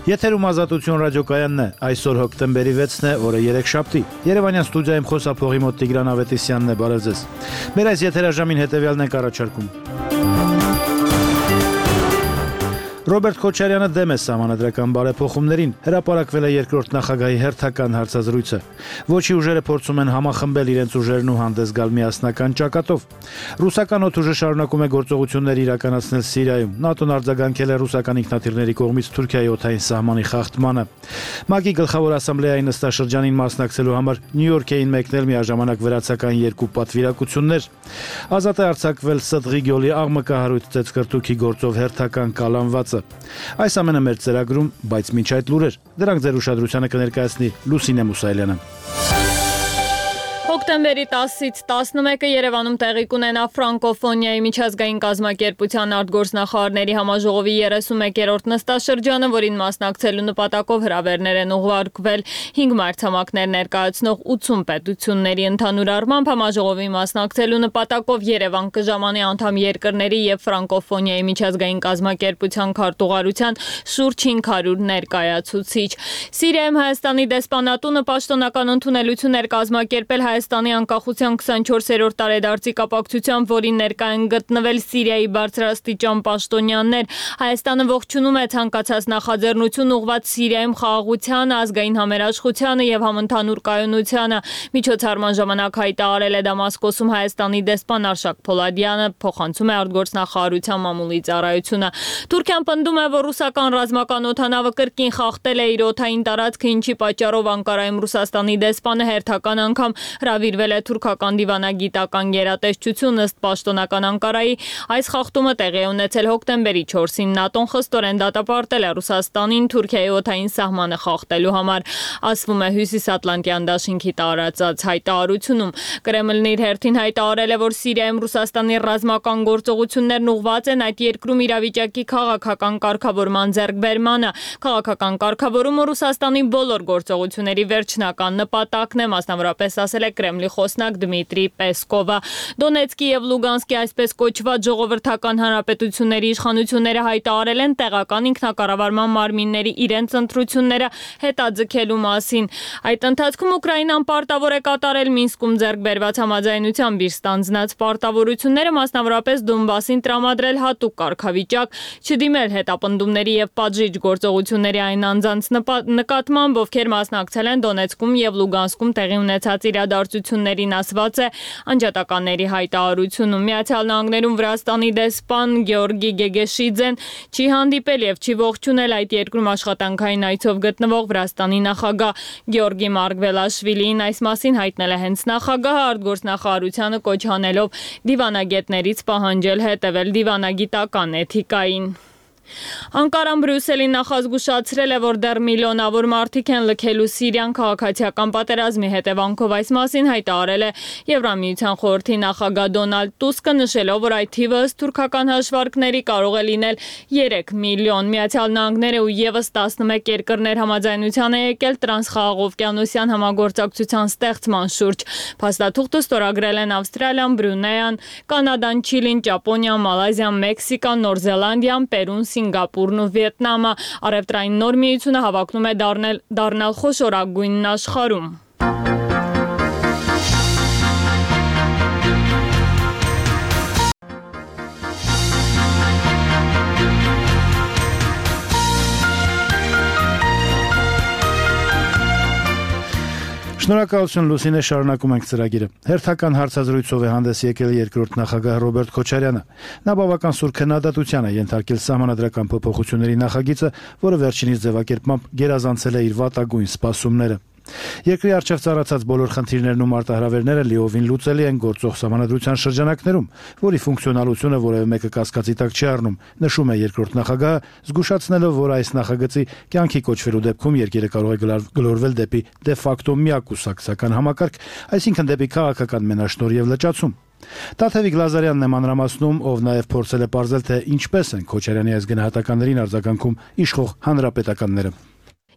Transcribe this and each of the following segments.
Եթերում Ազատություն ռադիոկայանն է, այսօր հոկտեմբերի 6-ն է, օրը երեքշաբթի։ Երևանյան ստուդիայում խոսափողի մոտ Տիգրան Ավետիսյանն է, բարև ձեզ։ Մեր այս եթերաժամին հետևյալն ենք առաջարկում։ Ռոբերտ Քոչարյանը դեմ է սահմանադրական բարեփոխումներին, հրապարակվել է երկրորդ նախագահի հերթական հարցազրույցը։ Ոչի ուժերը փորձում են համախմբել իրենց ուժերն ու հանդես գալ միասնական ճակատով։ Ռուսական օդուժը շարունակում է գործողություններ իրականացնել Սիրիայում։ ՆԱՏՕ-ն արձագանքել է ռուսական ինքնաթիռների կողմից Թուրքիայի օդային սահմանի խախտմանը։ ՄԱԿ-ի գլխավոր ասամբլեայի նստաշրջանին մասնակցելու համար Նյու Յորք էին մեկնել միաժամանակ վրացական երկու պատվիրակություններ։ Ազատ է արձակվել Սդղի գյուղի աղմկահարույց ծեծկրտուքի գործով հերթական կալանվածը։ Այս ամենը մեր ծրագրում, բայց մինչ այդ լուրեր, դրանք ձեր ուշադրությանը կներկայացնի Լուսինե Մուսայելյանը։ Հոկտեմբերի 10-ից 11-ը Երևանում տեղի կունենա ֆրանկոֆոնիայի միջազգային կազմակերպության արտգործնախարարների համաժողովի 31-րդ նստաշրջանը, որին մասնակցելու նպատակով հրավերներ են ուղարկվել 5 մայրցամաքներ ներկայացնող 80 պետությունների ընդհանուր առմամբ համաժողովի մասնակցելու նպատակով Երևան կժամանի անդամ երկրների եւ ֆրանկոֆոնիայի միջազգային կազմակերպության քարտուղարության շուրջ 500 ներկայացուցիչ։ Սիրիայում Հայաստանի դեսպանատունը պաշտոնական ընդունելություն էր կազմակերպել Հայաստանի անկախության 24-րդ տարեդարձի կապակցությամբ, որին ներկա են գտնվել Սիրիայի բարձրաստիճան պաշտոնյաներ։ Հայաստանը ողջունում է ցանկացած նախաձեռնություն ուղղված Սիրիայում խաղաղությանը, ազգային համերաշխությանը եւ համընդհանուր կայունությանը։ Միջոցառման ժամանակ հայտարարել է Դամասկոսում Հայաստանի դեսպան Արշակ Փոլադյանը, փոխանցում է արտգործնախարարության մամուլի ծառայությունը։ Թուրքիան պնդում է, որ ռուսական ռազմական օդանավը կրկին խախտել է իր օդային տարածքը, ինչի պատճառով Անկարայում Ռուսաստանի դեսպանը հերթական անգամ հրավիրվել է թուրքական դիվանագիտական գերատեսչություն։ Ըստ պաշտոնական Անկարայի, այս խախտումը տեղի է ունեցել հոկտեմբերի 4-ին։ ՆԱՏՕ-ն խստորեն դատապարտել է Ռուսաստանին Թուրքիայի օդային սահմանը խախտելու համար, ասվում է Հյուսիսատլանտյան դաշինքի տարածած հայտարարությունում։ Կրեմլն իր հերթին հայտարարել է, որ Սիրիայում Ռուսաստանի ռազմական գործողություններն ուղղված են այդ երկրում իրավիճակի քաղաքական կարգավորման ձեռքբերմանը։ Քաղաքական կարգավորումը Ռուսաստանի բոլոր գործողությունների վերջնական նպատակն է, մասնավորապես ասել է Կրեմլի խոսնակ Դմիտրի Պեսկովը։ Դոնեցկի եւ Լուգանսկի այսպես կոչված ժողովրդական հանրապետությունների իշխանությունները հայտարարել են տեղական ինքնակառավարման մարմինների իրենց ընտրությունները հետաձգելու մասին։ Այդ ընթացքում Ուկրաինան պարտավոր է կատարել Մինսկում ձեռք բերված համաձայնությամբ իր ստանձնած պարտավորությունները, մասնավորապես Դոնբասին տրամադրել հատուկ կարգավիճակ, չդիմել հետապնդումների եւ պատժիչ գործողությունների այն անձանց նկատմամբ, ովքեր մասնակցել են Դոնեցկում եւ Լուգանսկում տեղի ունեցած իրադարձություններին, ասված է անջատականների հայտարարությունում։ Միացյալ Նահանգներում Վրաստանի դեսպան Գեորգի Գեգեշիձեն չի հանդիպել եւ չի ողջունել այդ երկրում աշխատանքային այցով գտնվող Վրաստանի նախագահ Գեորգի Մարգվելաշվիլին։ Այս մասին հայտնել է հենց նախագահը, արտգործնախարարությանը կոչ անելով դիվանագետներից պահանջել հետևել դիվանագիտական էթիկային։ Անկարան Բրյուսելին նախազգուշացրել է, որ դեռ միլիոնավոր մարդիկ են լքելու Սիրիան քաղաքացիական պատերազմի հետևանքով։ Այս մասին հայտարարել է Եվրամիության խորհրդի նախագահ Դոնալդ Տուսկը, նշելով, որ այդ թիվը ըստ թուրքական հաշվարկների կարող է լինել 3 միլիոն։ Միացյալ Նահանգները ու եւս 11 երկրներ համաձայնության է եկել տրանսխաղաղօվկիանոսյան համագործակցության ստեղծման շուրջ։ Փաստաթուղթը ստորագրել են Ավստրալիան, Բրունեյան, Կանադան, Չիլին, Ճապոնիան, Մալազիան, Մեքսիկան, Նոր Զելանդիան, Պերուն, Սինգապուրն ու Վիետնամը։ Առևտրային նոր միությունը հավակնում է դառնալ խոշորագույնն աշխարհում։ Շնորհակալություն Լուսինե, շարունակում ենք ծրագիրը։ Հերթական հարցազրույցով է հանդես եկել երկրորդ նախագահ Ռոբերտ Քոչարյանը։ Նա բավական սուր քննադատության է ենթարկել սահմանադրական փոփոխությունների նախագիծը, որը վերջինիս ձևակերպմամբ գերազանցել է իր վատագույն սպասումները։ Երկրի առջև ծառացած բոլոր խնդիրներն ու մարտահրավերները լիովին լուծելի են գործող սահմանադրության շրջանակներում, որի ֆունկցիոնալությունը որևէ մեկը կասկածի տակ չի առնում, նշում է երկրորդ նախագահը, զգուշացնելով, որ այս նախագծի կյանքի կոչվելու դեպքում երկիրը կարող է գլորվել դեպի դե ֆակտո միակուսակցական համակարգ, այսինքն դեպի քաղաքական մենաշնորհ եւ լճացում։ Տաթևիկ Լազարյանն է մանրամասնում, ով նաև փորձել է պարզել, թե ինչպես են Քոչարյանի այս գնահատականներին արձագանքում իշխող հանրապետականները։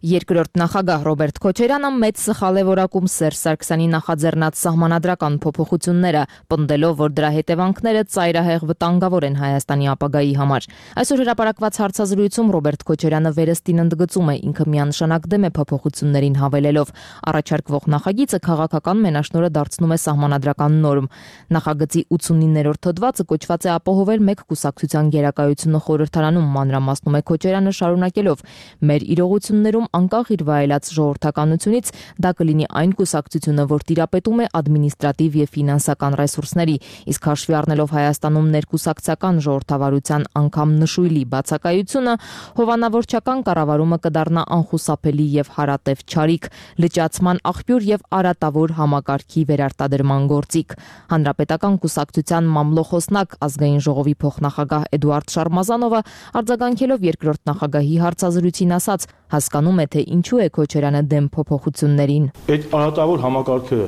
Երկրորդ նախագահ Ռոբերտ Քոչարյանը մեծ սխալ է որակում Սերժ Սարգսյանի նախաձեռնած սահմանադրական փոփոխությունները, պնդելով, որ դրա հետևանքները ծայրահեղ վտանգավոր են Հայաստանի ապագայի համար։ Այսօր հրապարակված հարցազրույցում Ռոբերտ Քոչարյանը վերստին ընդգծում է, ինքը միանշանակ դեմ է փոփոխություններին հավելելով. առաջարկվող նախագիծը քաղաքական մենաշնորհը դարձնում է սահմանադրական նորմ։ Նախագծի 89-րդ հոդվածը կոչված է ապահովել մեկ կուսակցության գերակայությունը խորհրդարանում, մանրամասնում է Քոչարյանը, շարունակելով. մեր իրողություններում անկախ իր վայելած ժողովրդականությունից դա կլինի այն կուսակցությունը, որ տիրապետում է ադմինիստրատիվ եւ ֆինանսական ռեսուրսների, իսկ հաշվի առնելով Հայաստանում ներկուսակցական ժողովրդավարության անգամ նշույլի բացակայությունը, հովանավորչական կառավարումը կդառնա անխուսափելի եւ հարատև չարիք, լճացման աղբյուր եւ արատավոր համակարգի վերարտադրման գործիք։ Հանրապետական կուսակցության մամլոխոսնակ ազգային ժողովի փոխնախագահ Էդուարդ Շարմազանովը արձագանքելով երկրորդ նախագահի հարցազրույցին ասաց. հասկանում է, թե ինչու է Քոչարյանը դեմ փոփոխություններին։ Այդ արատավոր համակարգը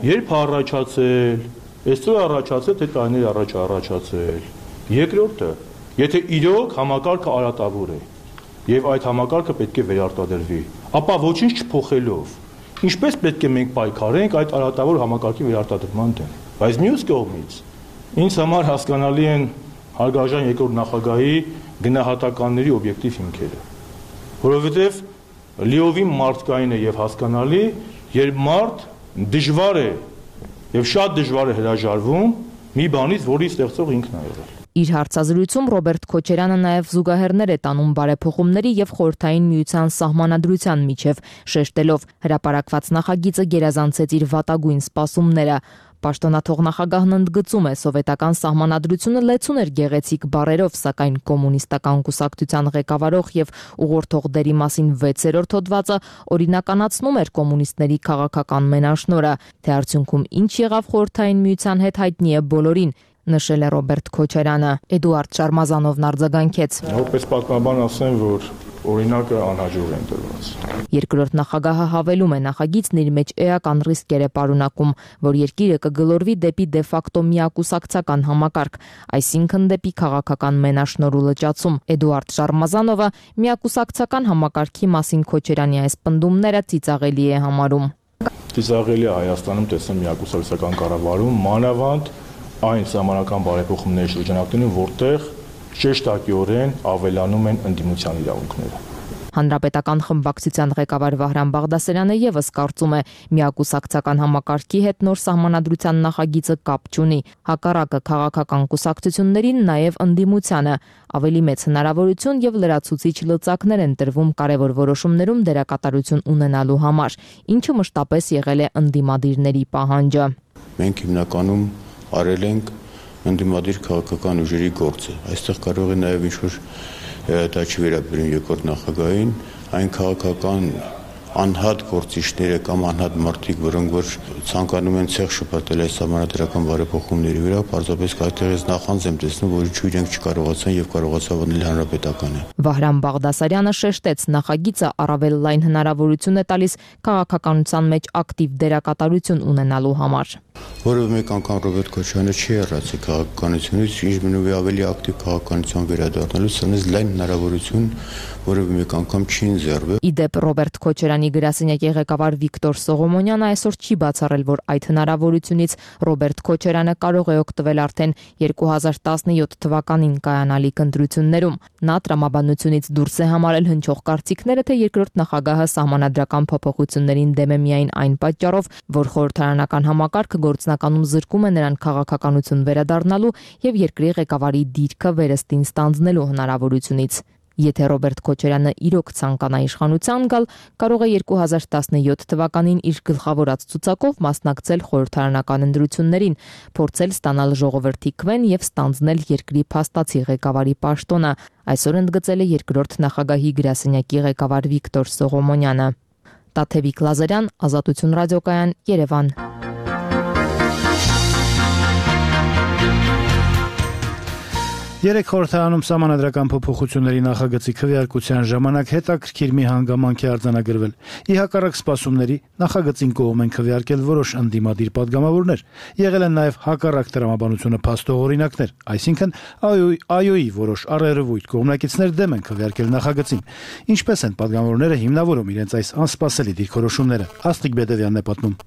երբ առաջացել, այսօր առաջացել, թե տարիներ առաջ առաջացել։ Երկրորդը, եթե իրոք համակարգը արատավոր է եւ այդ համակարգը պետք է վերարտադրվի, ապա ոչինչ չփոխելով, ինչպես պետք է մենք պայքարենք այդ արատավոր համակարգի վերարտադրման դեմ։ Բայց մյուս կողմից ինձ համար հասկանալի են հարգարժան երկրորդ նախագահի գնահատականների օբյեկտիվ հիմքերը, որովհետև լիովին մարդկային է եւ հասկանալի, երբ մարդ դժվար է եւ շատ դժվար է հրաժարվում մի բանից, որի ստեղծող ինքն է եղել։ Իր հարցազրույցում Ռոբերտ Քոչարյանը նաև զուգահեռներ է տանում բարեփոխումների եւ խորհրդային միության սահմանադրության միջև, շեշտելով հրապարակված նախագիծը գերազանցեց իր վատագույն սպասումները։ Պաշտոնաթող նախագահն ընդգծում է, սովետական սահմանադրությունը լեցուն էր գեղեցիկ բառերով, սակայն կոմունիստական կուսակցության ղեկավարող եւ ուղղորդող դերի մասին 6-րդ հոդվածը օրինականացնում էր կոմունիստների քաղաքական մենաշնորհը, թե արդյունքում ինչ եղավ խորհրդային միության հետ հայտնի է բոլորին, նշել է Ռոբերտ Քոչարյանը։ Էդուարդ Շարմազանովն արձագանքեց. Որպես պատմաբան ասեմ, որ օրինակը անհաջող է ընտրված։ Երկրորդ նախագահը հավելում է, նախագիծն իր մեջ էական ռիսկեր է պարունակում, որ երկիրը կգլորվի դեպի դե ֆակտո միակուսակցական համակարգ, այսինքն դեպի քաղաքական մենաշնորհ լճացում։ Էդուարդ Շարմազանովը միակուսակցական համակարգի մասին Քոչարյանի այս պնդումները ծիծաղելի է համարում։ Ծիծաղելի է Հայաստանում տեսնել միակուսակցական կառավարում, մանավանդ այն սահմանական բարեփոխումների շրջանակներում, որտեղ շեշտակիորեն ավելանում են ընդդիմության իրավունքները։ Հանրապետական խմբակցության ղեկավար Վահրամ Բաղդասարյանը եւս կարծում է, միակուսակցական համակարգի հետ նոր սահմանադրության նախագիծը կապ չունի, հակառակը քաղաքական կուսակցություններին նաեւ ընդդիմությանը ավելի մեծ հնարավորություն եւ լրացուցիչ լծակներ են տրվում կարեւոր որոշումներում դերակատարություն ունենալու համար, ինչը մշտապես եղել է ընդդիմադիրների պահանջը։ Մենք հիմնականում արել ենք ընդդիմադիր քաղաքական ուժերի գործը։ Այստեղ կարող է նաև ինչ-որ դա չի վերաբերում երկրորդ նախագահին, այն քաղաքական անհատ գործիչները կամ անհատ մարդիկ, որոնք որ ցանկանում են ցեղ շփոթել այս համանadrական բարեփոխումների վրա, պարզապես այդտեղից նախանձ եմ տեսնում, որ ինչու իրենք չկարողացան եւ կարողացավ անել հանրապետականը։ Վահրամ Բաղդասարյանը շեշտեց, նախագիծը առավել լայն հնարավորություն է տալիս քաղաքականության մեջ ակտիվ դերակատարություն ունենալու համար։ Որովհետև մեկ անգամ Ռոբերտ Քոչարյանը չի հեռացել քաղաքականությունից, ինչ մնում է ավելի ակտիվ քաղաքականության վերադառնալու, սրանից լայն հնարավորություն, որովհետև մեկ անգամ չի ընձեռվել։ Իդեպ Ռոբերտ Քոչարյանի գրասենյակի ղեկավար Վիկտոր Սողոմոնյանը այսօր չի բացառել, որ այդ հնարավորությունից Ռոբերտ Քոչարյանը կարող է օգտվել արդեն 2017 թվականին կայանալիք ընտրություններում։ Նա տրամաբանությունից դուրս է համարել հնչող կարծիքները, թե երկրորդ նախագահը սահմանադրական փոփոխություններին դեմ է միայն այն պատճառով, որ խորհրդարանական համակարգը գործնականում զրկում է նրան քաղաքականություն վերադառնալու եւ երկրի ղեկավարի դիրքը վերստին ստանձնելու հնարավորությունից։ Եթե Ռոբերտ Քոչարյանը իրոք ցանկանա իշխանության գալ, կարող է 2017 թվականին իր գլխավորած ցուցակով մասնակցել խորհրդարանական ընտրություններին, փորձել ստանալ ժողովրդի քվեն եւ ստանձնել երկրի փաստացի ղեկավարի պաշտոնը, այսօր ընդգծել է երկրորդ նախագահի գրասենյակի ղեկավար Վիկտոր Սողոմոնյանը։ Տաթևիկ Լազարյան, Ազատություն ռադիոկայան, Երևան։ Երեք խորհրդարանում սահմանադրական փոփոխությունների նախագծի քվեարկության ժամանակ հետաքրքիր մի հանգամանք է արձանագրվել։ Ի հակառակ սպասումների նախագծին կողմ են քվեարկել որոշ ընդդիմադիր պատգամավորներ։ Եղել են նաև հակառակ տրամաբանությունը փաստող օրինակներ, այսինքն ԱՅՈ-ի որոշ առերևույթ կողմնակիցներ դեմ են քվեարկել նախագծին։ Ինչպես են պատգամավորները հիմնավորում իրենց այս անսպասելի դիրքորոշումները։ Աստղիկ Բեդևյանն է պատմում։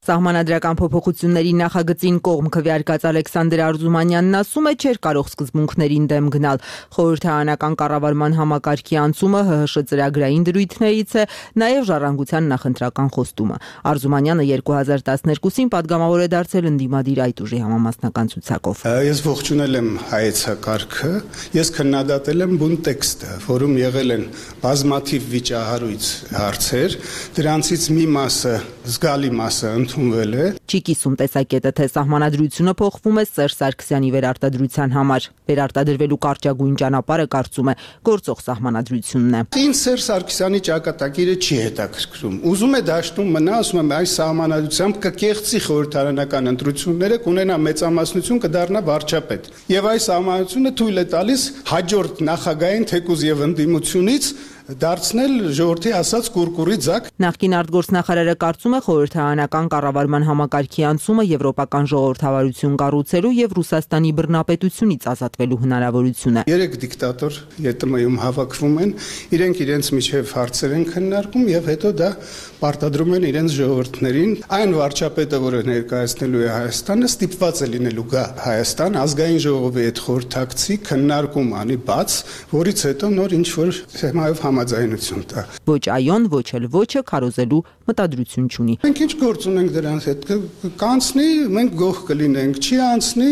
Սահմանադրական փոփոխությունների նախագծին կողմ քվեարկած Ալեքսանդր Արզումանյանն ասում է, չէր կարող սկզբունքներին դեմ գնալ։ Խորհրդարանական կառավարման համակարգի անցումը ՀՀՇ ծրագրային դրույթներից է, նաև ժառանգության նախընտրական խոստումը։ Արզումանյանը 2012-ին պատգամավոր է դարձել ընդդիմադիր այդ ուժի համամասնական ցուցակով։ Ես ողջունել եմ հայեցակարգը, ես քննադատել եմ բուն տեքստը, որում եղել են բազմաթիվ վիճահարույց հարցեր, դրանցից մի մասը, զգալի մասը ընդունվել է։ Չի կիսում տեսակետը, թե սահմանադրությունը փոխվում է Սերժ Սարգսյանի վերարտադրության համար։ Վերարտադրվելու կարճագույն ճանապարհը կարծում է գործող սահմանադրությունն է։ Ինձ Սերժ Սարգսյանի ճակատագիրը չի հետաքրքրում։ Ուզում է դաշտում մնա, ասում եմ, այս սահմանադրությամբ կկեղծի խորհրդարանական ընտրությունները, կունենա մեծամասնություն, կդառնա վարչապետ։ Եվ այս սահմանադրությունը թույլ է տալիս հաջորդ նախագահային թեկուզ եւ ընդդիմությունից դարձնել ժողովրդի ասած կուրկուրի ձակ։ Նախկին արտգործնախարարը կարծում է խորհրդարանական կառավարման համակարգի անցումը եվրոպական ժողովրդավարություն կառուցելու եւ Ռուսաստանի բռնապետությունից ազատվելու հնարավորություն է։ 3 դիկտատոր ԵՏՄ-ում հավաքվում են, իրենք իրենց միջև հարցեր են քննարկում եւ հետո դա պարտադրում են իրենց ժողովրդներին։ Այն վարչապետը, որը ներկայացնելու է Հայաստանը, ստիպված է լինելու գա Հայաստան ազգային ժողովի հետ խորհրդակցի քննարկում անի բաց, որից հետո նոր ինչ որ թեմայով համաձայնություն տա։ Ոչ այոն, ոչ էլ ոչը քարոզելու մտադրություն չունի։ Մենք ինչ գործ ունենք դրանց հետ, կանցնի, մենք գող կլինենք, չի անցնի,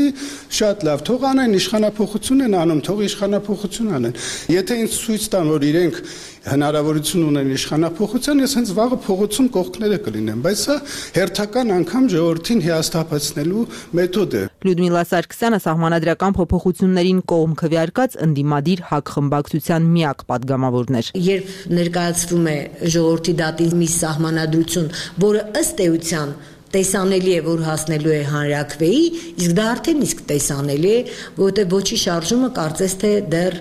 շատ լավ, թող անեն իշխանափոխություն են անում, թող իշխանափոխություն անեն։ Եթե ինձ ցույց տան, որ իրենք հնարավորություն ունեն իշխանափոխության, ես հենց վաղը փողոցում կողքները կլինեմ, բայց սա հերթական անգամ ժողովրդին հիասթափեցնելու մեթոդ է։ Լյուդմիլա Սարգսյանը սահմանադրական փոփոխություններին կողմ քվեարկած ընդդիմադիր ՀԱԿ խմբակցության միակ պատգամավորն էր։ Երբ ներկայացվում է ժողովրդի դատի մի սահմանադրություն, որը ըստ էության տեսանելի է, որ հասնելու է հանրաքվեի, իսկ դա արդեն իսկ տեսանելի է, որովհետև ոչի շարժումը կարծես թե դեռ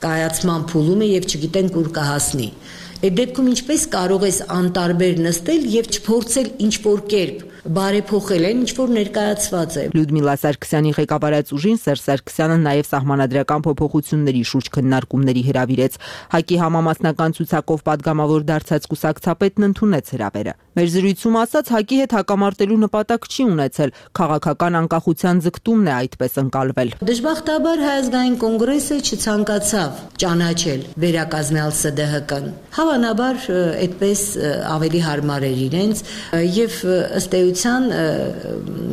կայացման փուլում է եւ չգիտենք ուր կհասնի։ Այդ դեպքում ինչպես կարող ես անտարբեր նստել եւ չփորձել ինչ-որ կերպ բարեփոխել այն, ինչ որ ներկայացված է։ Լյուդմիլա Սարգսյանի ղեկավարած ուժին Սերժ Սարգսյանը նաև սահմանադրական փոփոխությունների շուրջ քննարկումների հրավիրեց։ ՀԱԿ-ի համամասնական ցուցակով պատգամավոր դարձած կուսակցապետն ընդունեց հրավերը։ Մեր զրույցում ասաց, ՀԱԿ-ի հետ հակամարտելու նպատակ չի ունեցել, քաղաքական անկախության ձգտումն է այդպես ընկալվել։ Դժբախտաբար Հայ ազգային կոնգրեսը չցանկացավ ճանաչել վերակազմյալ ՍԴՀԿ-ն։ Հավանաբար այդպես ավելի հարմար էր իրենց եւ ըստ էության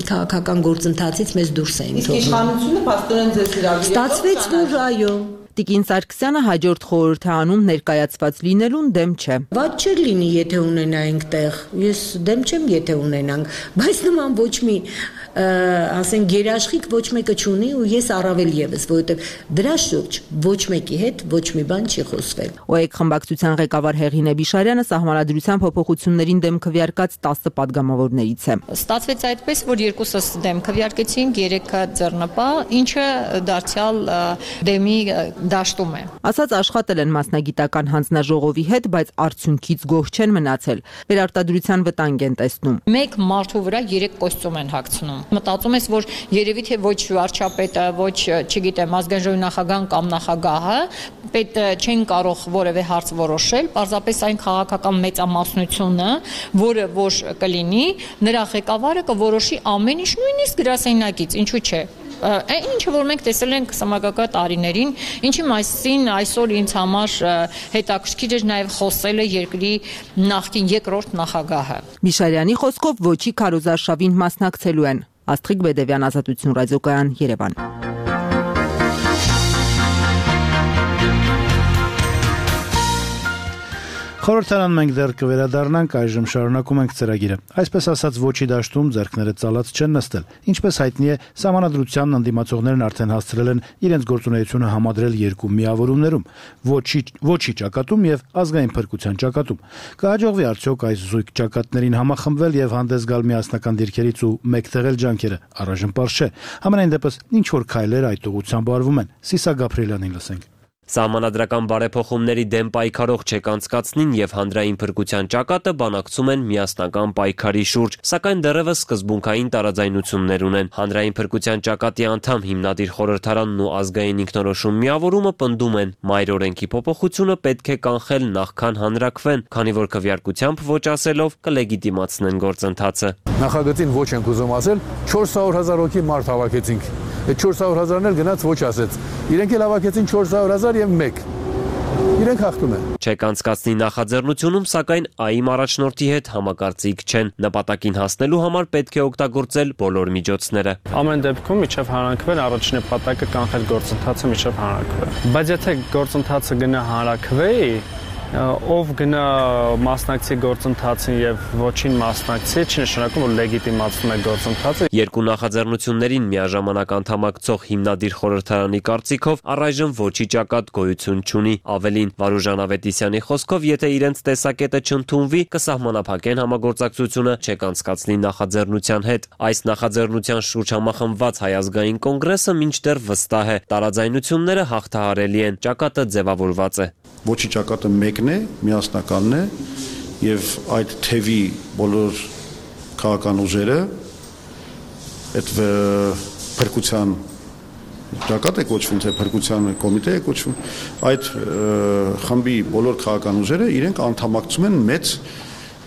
քաղաքական գործընթացից մեզ դուրս էին թողնում։ Իսկ իշխանությունը փաստորեն ձեզ հրավիրեց։ Ստացվեց, որ այո։ Տիկին Սարգսյանը հաջորդ խորհրդարանում ներկայացված լինելուն դեմ չէ։ Ված չէր լինի, եթե ունենայինք տեղ։ Ես դեմ չեմ, եթե ունենանք, բայց նման ոչ մի ասեն գերաշխիք ոչ մեկը չունի ու ես առավել եւս, որովհետեւ դրա շուրջ ոչ մեկի հետ ոչ մի բան չի խոսվել։ ՕԵԿ խմբակցության ղեկավար Հեղինե Բիշարյանը սահմանադրության փոփոխություններին դեմ քվեարկած 10 պատգամավորներից է։ Ստացվեց այդպես, որ երկուսս դեմ քվեարկեցին, 3-ը ձեռնպահ, ինչը դարձյալ դեմի դաշտում է։ Ասած աշխատել են մասնագիտական հանձնաժողովի հետ, բայց արդյունքից գոհ չեն մնացել։ Վերարտադրության վտանգ են տեսնում։ Մեկ մարդու վրա 3 կոստյում են հագցնում։ Մտածում ես, որ երևի թե ոչ վարչապետը, ոչ, չգիտեմ, ազգային ժողովի նախագահան կամ նախագահը պետ չեն կարող որևէ հարց որոշել, պարզապես այն քաղաքական մեծամասնությունը, որը որ կլինի, նրա ղեկավարը կորոշի ամեն ինչ, նույնիսկ գրասենյակից, ինչու՞ չէ։ Ինչը որ մենք տեսել ենք սմագակա տարիներին, ինչի մասին այսօր ինձ համար հետաքրքիր էր նաև խոսել է երկրի նախկին երկրորդ նախագահը։ Միշարյանի խոսքով ոչի քարոզարշավին մասնակցելու են։ Աստղիկ Բեդևյան, Ազատություն ռադիոկայան, Երևան։ Խորհրդարան մենք դեռ կվերադառնանք, այժմ շարունակում ենք ծրագիրը։ Այսպես ասած, ոչի դաշտում ձեռքները ծալած չեն նստել։ Ինչպես հայտնի է, Սահմանադրությանն ընդդիմացողներն արդեն հասցրել են իրենց գործունեությունը համադրել երկու միավորումներում՝ ոչի ճակատում եւ ազգային փրկության ճակատում։ Կհաջողվի արդյոք այս զույգ ճակատներին համախմբվել եւ հանդես գալ միասնական դիրքերից ու մեկտեղել ջանքերը։ Առայժմ պարզ չէ։ Համենայն դեպս ինչ որ քայլեր այդ ուղղությամբ արվում են։ Սիսա Գաբրիելյանին լսենք։ Սահմանադրական բարեփոխումների դեմ պայքարող չեկանցկացնին եւ հանրային փրկության ճակատը բանակցում են միասնական պայքարի շուրջ, սակայն դեռևս սկզբունքային տարաձայնություններ ունեն։ Հանրային փրկության ճակատի անդամ հիմնադիր խորհրդարանն ու ազգային ինքնորոշում միավորումը պնդում են՝ մայր օրենքի փոփոխությունը պետք է կանխել նախքան հանրաքվեն, քանի որ քվեարկությամբ ոչ ասելով կլեգիտիմացնեն գործընթացը։ Նախագծին ոչ ենք ուզում ասել, 400,000 հոգի մարդ հավաքեցինք։ Այդ 400,000-ն էլ գնաց ոչ ասեց։ Իրենք էլ հավաքեցին 400,000 եւ 1։ Իրենք հաղթում են։ Չեկանցկացնի նախաձեռնությունում, սակայն ԱԻՄ առաջնորդի հետ համակարծիք չեն։ Նպատակին հասնելու համար պետք է օգտագործել բոլոր միջոցները։ Ամեն դեպքում միջև հանրաքվեն առաջին նպատակը կանխել գործընթացը միջև հանրաքվե։ Բայց եթե գործընթացը գնա հանրաքվեի, ով գնա մասնակցի գործընթացին եւ ոչին մասնակցի, չի նշանակում, որ լեգիտիմացնում է գործընթացը։ Երկու նախաձեռնություններին միաժամանակ անդամակցող հիմնադիր խորհրդարանի կարծիքով առայժմ ոչի ճակատ գոյություն չունի։ Ավելին, Վարուժան Ավետիսյանի խոսքով, եթե իրենց տեսակետը չընդունվի, կսահմանափակեն համագործակցությունը չեկանցկացնի նախաձեռնության հետ։ Այս նախաձեռնության շուրջ համախմբված Հայ ազգային կոնգրեսը մինչդեռ վստահ է, տարաձայնությունները հաղթահարելի են, ճակատը ձևավորված է։ Ոչի ճակատը մեկն է, միասնականն է եւ այդ թևի բոլոր քաղաքական ուժերը այդ փրկության ճակատ է կոչվում, թե փրկության կոմիտե է կոչվում, այդ խմբի բոլոր քաղաքական ուժերը իրենք անդամակցում են մեծ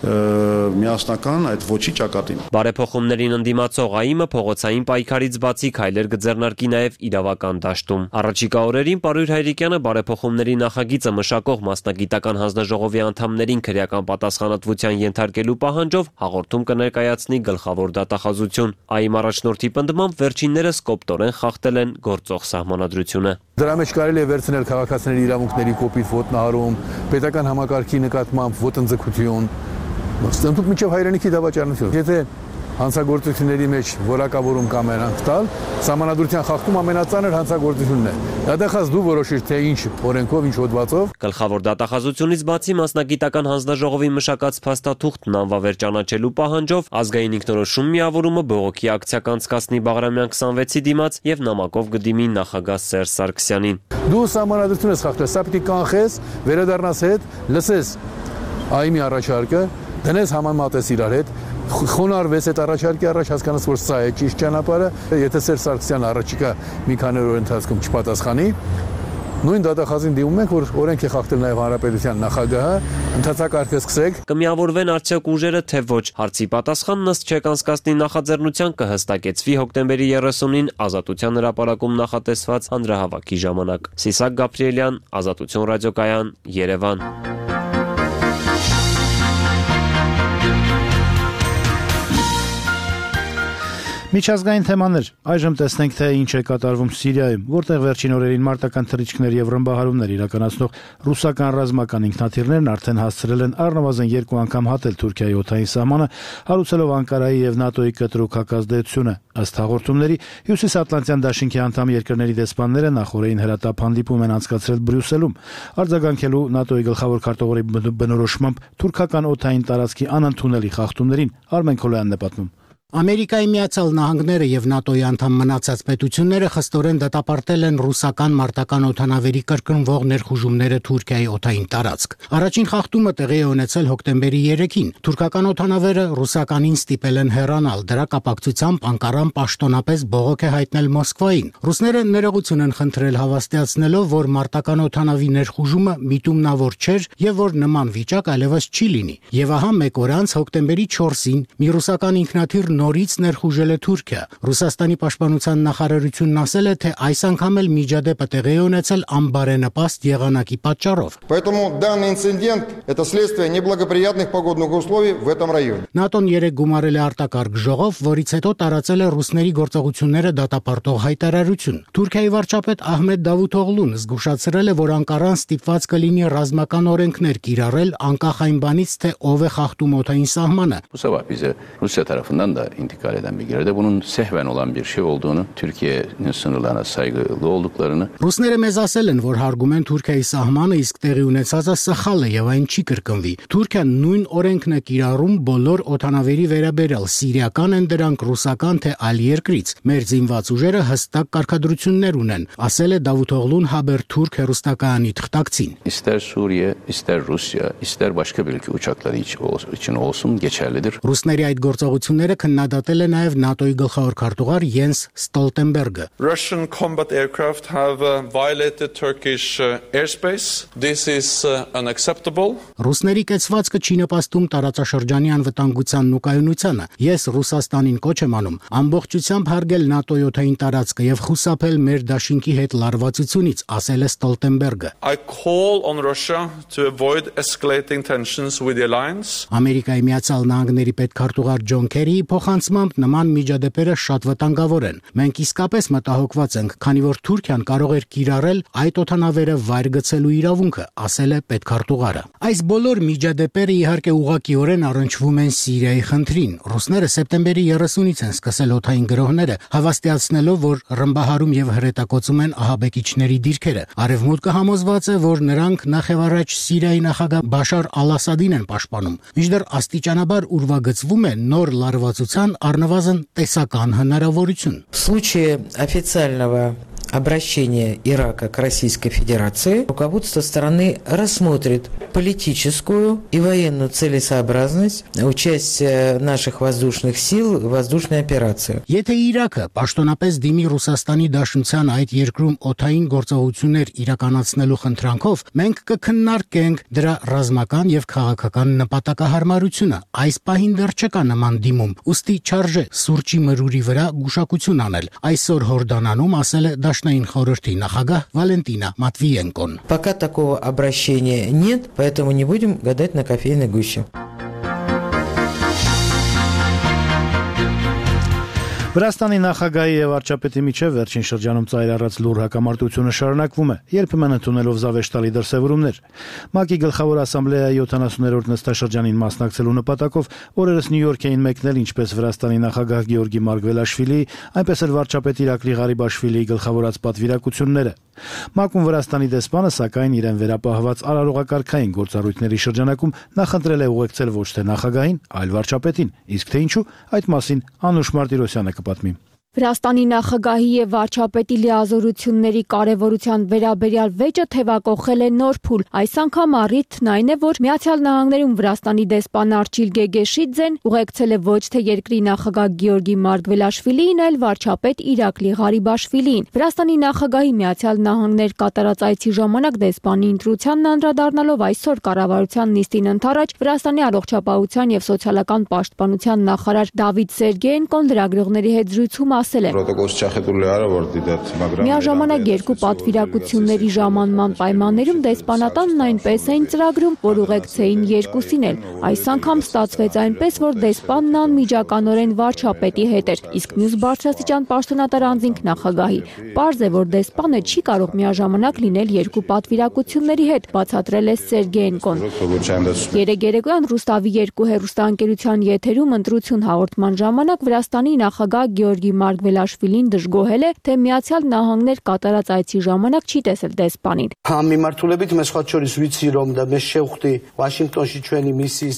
միասնական այդ ոչի ճակատին։ Բարեփոխումներին ընդդիմացող ԱԻՄ-ը փողոցային պայքարից բացի քայլեր կձեռնարկի նաև իրավական դաշտում։ Առաջիկա օրերին Պարույր Հայրիկյանը բարեփոխումների նախագիծը մշակող մասնագիտական հանձնաժողովի անդամներին քրեական պատասխանատվության ենթարկելու պահանջով հաղորդում կներկայացնի գլխավոր դատախազություն։ ԱԻՄ առաջնորդի պնդմամբ վերջիններս կոպտորեն խախտել են գործող սահմանադրությունը։ Դրա մեջ կարելի է վերցնել քաղաքացիների իրավունքների կոպիտ ոտնահարում, պետական համակարգի նկատմամբ ոտնձգություն, ստնդուկ միջև հայրենիքի դավաճանություն։ Եթե հանցագործությունների մեջ որակավորում կամ երանք տալ, սահմանադրության խախտում ամենածանր հանցագործությունն է։ Դատախազ դու որոշիր, թե ինչ օրենքով, ինչ հոդվածով։ Գլխավոր դատախազությունից բացի մասնագիտական հանձնաժողովի մշակած փաստաթուղթն անվավեր ճանաչելու պահանջով ազգային ինքնորոշում միավորումը բողոքի ակցիա կանցկացնի Բաղրամյան 26-ի դիմաց եւ նամակով կդիմի նախագահ Սերժ Սարգսյանին։ Դու սահմանադրություն ես խախտել, սա պիտի կանխես, վերադառնաս հետ, լսես ԱԻՄ-ի առաջարկը, դնես համեմատես իրար հետ, խոնարհվես այդ առաջարկի առաջ, հասկանաս, որ սա է ճիշտ ճանապարհը, եթե Սերժ Սարգսյանը առաջիկա մի քանի օր ընթացքում չպատասխանի, նույն դատախազին դիմում ենք, որ օրենք է խախտել նաև հանրապետության նախագահը, ընթացակարգը սկսեք։ Կմիավորվեն արդյոք ուժերը, թե ոչ, հարցի պատասխանն ըստ չեկանցկացնի նախաձեռնության կհստակեցվի հոկտեմբերի 30-ին Ազատության հրապարակում նախատեսված հանրահավաքի ժամանակ։ Սիսակ Գաբրիելյան, Ազատություն ռադիոկայան, Երևան։ Միջազգային թեմաներ։ Այժմ տեսնենք, թե ինչ է կատարվում Սիրիայում, որտեղ վերջին օրերին մարտական թռիչքներ եւ ռմբահարումներ իրականացնող ռուսական ռազմական ինքնաթիռներն արդեն հասցրել են առնվազն 2 անգամ հատել Թուրքիայի օդային սահմանը, հարուցելով Անկարայի եւ ՆԱՏՕ-ի կտրուկ հակազդեցությունը։ Ըստ հաղորդումների, Հյուսիսատլանտյան դաշինքի անդամ երկրների դեսպանները նախորդին հրատապ հանդիպում են անցկացրել Բրյուսելում, արձագանքելու ՆԱՏՕ-ի գլխավոր քարտուղարի բնորոշմամբ թուրքական օդային տարածքի անընդունելի խախտումներին։ Արմեն Քոլոյանն է պատմում։ Ամերիկայի Միացյալ Նահանգները եւ ՆԱՏՕ-ի անդամ մնացած պետությունները խստորեն դատապարտել են ռուսական մարտական օդանավերի կրկնվող ներխուժումները Թուրքիայի օդային տարածք։ Առաջին խախտումը տեղի է ունեցել հոկտեմբերի 3-ին։ Թուրքական օդանավերը ռուսականին ստիպել են հեռանալ։ Դրա կապակցությամբ Անկարան պաշտոնապես բողոք է հայտնել Մոսկվային։ Ռուսները ներողություն են խնդրել, հավաստիացնելով, որ մարտական օդանավի ներխուժումը միտումնավոր չէր եւ որ նման վիճակ այլևս չի լինի։ Եվ ահա մեկ օր անց հոկտեմբերի 4-ին մի ռուսական ինքնաթիռ նորից ներխուժել է Թուրքիա։ Ռուսաստանի պաշտպանության նախարարությունն ասել է, թե այս անգամ էլ միջադեպը տեղի է ունեցել անբարենպաստ եղանակի պատճառով։ Поэтому данный инцидент это следствие неблагоприятных погодных условий в этом районе. ՆԱՏՕ-ն երեկ գումարել է արտակարգ ժողով, որից հետո տարածել է ռուսների գործողությունները դատապարտող հայտարարություն։ Թուրքիայի վարչապետ Ահմեդ Դավութօղլուն զգուշացրել է, որ Անկարան ստիպված կլինի ռազմական օրենքներ կիրառել անկախ այն բանից, թե ով է խախտում օդային sahmanı. Bu sabah bize Rusya tarafından da intikal eden bilgilerde bunun sehven olan bir şey olduğunu, Türkiye'nin sınırlarına saygılı olduklarını. Ռուսները մեզ ասել են, որ հարգում են Թուրքիայի սահմանը, իսկ տեղի ունեցածը սխալ է եւ այն չի կրկնվի։ Թուրքիան նույն օրենքն է կիրառում բոլոր օդանավերի վերաբերյալ, սիրիական են դրանք, ռուսական թե այլ երկրից։ Մեր զինված ուժերը հստակ կարգադրություններ ունեն, ասել է Դավութօղլուն Haberturk հեռուստակայանի թղթակցին։ İster Suriye, ister Rusya, ister başka bir ülke uçakları için olsun geçerlidir. Ռուսների այդ գործողությունները քննադատել է նաև ՆԱՏՕ-ի գլխավոր քարտուղար Յենս Ստոլտենբերգը։ Russian combat aircraft have violated Turkish airspace. This is unacceptable. Ռուսների կեցվածքը չի նպաստում տարածաշրջանի անվտանգությանն ու կայունությանը։ Ես Ռուսաստանին կոչ եմ անում ամբողջությամբ հարգել ՆԱՏՕ-ի օդային տարածքը եւ խուսափել մեր դաշինքի հետ լարվածությունից, ասել է Ստոլտենբերգը։ I call on Russia to avoid escalating tensions with the alliance. Ամերիկայի Միացյալ Նահանգների պետքարտուղար Ջոն Քերիի փոխանցմամբ նման միջադեպերը շատ վտանգավոր են։ Մենք իսկապես մտահոգված ենք, քանի որ Թուրքիան կարող էր կիրառել այդ օդանավերը վայր գցելու իրավունքը, ասել է պետքարտուղարը։ Այս բոլոր միջադեպերը իհարկե ուղղակիորեն առնչվում են Սիրիայի խնդրին։ Ռուսները սեպտեմբերի 30-ից են սկսել օդային գրոհները, հավաստիացնելով, որ ռմբահարում եւ հրետակոծում են ահաբեկիչների դիրքերը։ Արևմուտքը համոզված է, որ նրանք նախևառաջ Սիրիայի նախագահ Բաշար Ալ-Ասադին են պաշտպանում։ Մինչդեռ աստիճանաբար ուրվագծվում է նոր լարվածության առնվազն տեսական հնարավորություն։ В случае официального обращения Ирака к Российской Федерации руководство страны рассмотрит политическую и военную целесообразность участия наших воздушных сил в воздушной операции. Եթե Իրաքը պաշտոնապես դիմի Ռուսաստանի Դաշնության այդ երկրում օդային գործողություններ իրականացնելու խնդրանքով, մենք կքննարկենք դրա ռազմական եւ քաղաքական նպատակահարմարությունը։ Այս պահին դեռ չկա նման դիմում, ուստի չարժե սուրճի մրուրի վրա գուշակություն անել։ Այսօր Հորդանանում ասել է Դաշնային խորհրդի նախագահ Վալենտինա Մատվիենկոն։ Пока такого обращения нет, поэтому не будем гадать на кофейной гуще. Վրաստանի նախագահի եւ վարչապետի միջև վերջին շրջանում ծայրառած լուր հակամարտությունը շարունակվում է, երբեմն ընդունելով զավեշտալի դրսևորումներ։ ՄԱԿ-ի գլխավոր ասամբլեայի 70-րդ նստաշրջանին մասնակցելու նպատակով օրերս Նյու Յորք էին մեկնել ինչպես Վրաստանի նախագահ Գեորգի Մարգվելաշվիլիի, այնպես էլ վարչապետ Իրակլի Ղարիբաշվիլիի գլխավորած պատվիրակությունները։ ՄԱԿ-ում Վրաստանի դեսպանը սակայն իրեն վերապահված արարողակարգային գործառույթների շրջանակում նախընտրել է ուղեկցել ոչ թե նախագահին, այլ վարչապետին, իսկ թե ինչու, այդ մասին Անուշ Մարտիրոսյանը կպատմի։ Վրաստանի նախագահի եւ վարչապետի լիազորությունների կարեւորության վերաբերյալ վեճը թեվակողել է նոր փուլ։ Այս անգամ առիթն այն է, որ Միացյալ Նահանգներում Վրաստանի դեսպան Արչիլ Գեգեշիձեն ուղեկցել է ոչ թե երկրի նախագահ Գեորգի Մարգվելաշվիլիին, այլ վարչապետ Իրակլի Ղարիբաշվիլիին։ Վրաստանի նախագահի Միացյալ Նահանգներ կատարած այցի ժամանակ դեսպանի ընտրությանն անդրադառնալով այսօր կառավարության նիստին ընդառաջ Վրաստանի առողջապահության եւ սոցիալական պաշտպանության նախարար Դավիթ Սերգեյենկոն լրագրողների հետ զրույցում Միաժամանակ երկու պատվիրակությունների ժամանման պայմաններում դեսպանատանն այնպես էին ծրագրում, որ ուղեկցեին երկուսին էլ։ Այս անգամ ստացվեց այնպես, որ դեսպանն անմիջականորեն վարչապետի հետ էր, իսկ մյուս բարձրաստիճան պաշտոնատար անձինք նախագահի։ Պարզ է, որ դեսպանը չի կարող միաժամանակ լինել երկու պատվիրակությունների հետ, բացատրել է Սերգեյենկոն։ Երեկ երեկոյան Ռուստավի 2 հեռուստաընկերության եթերում ընտրություն հաղորդման ժամանակ Վրաստանի նախագահ Գեորգի Մարգվելաշվիլին դժգոհել է, թե Միացյալ Նահանգներ կատարած այցի ժամանակ չի տեսել դեսպանին։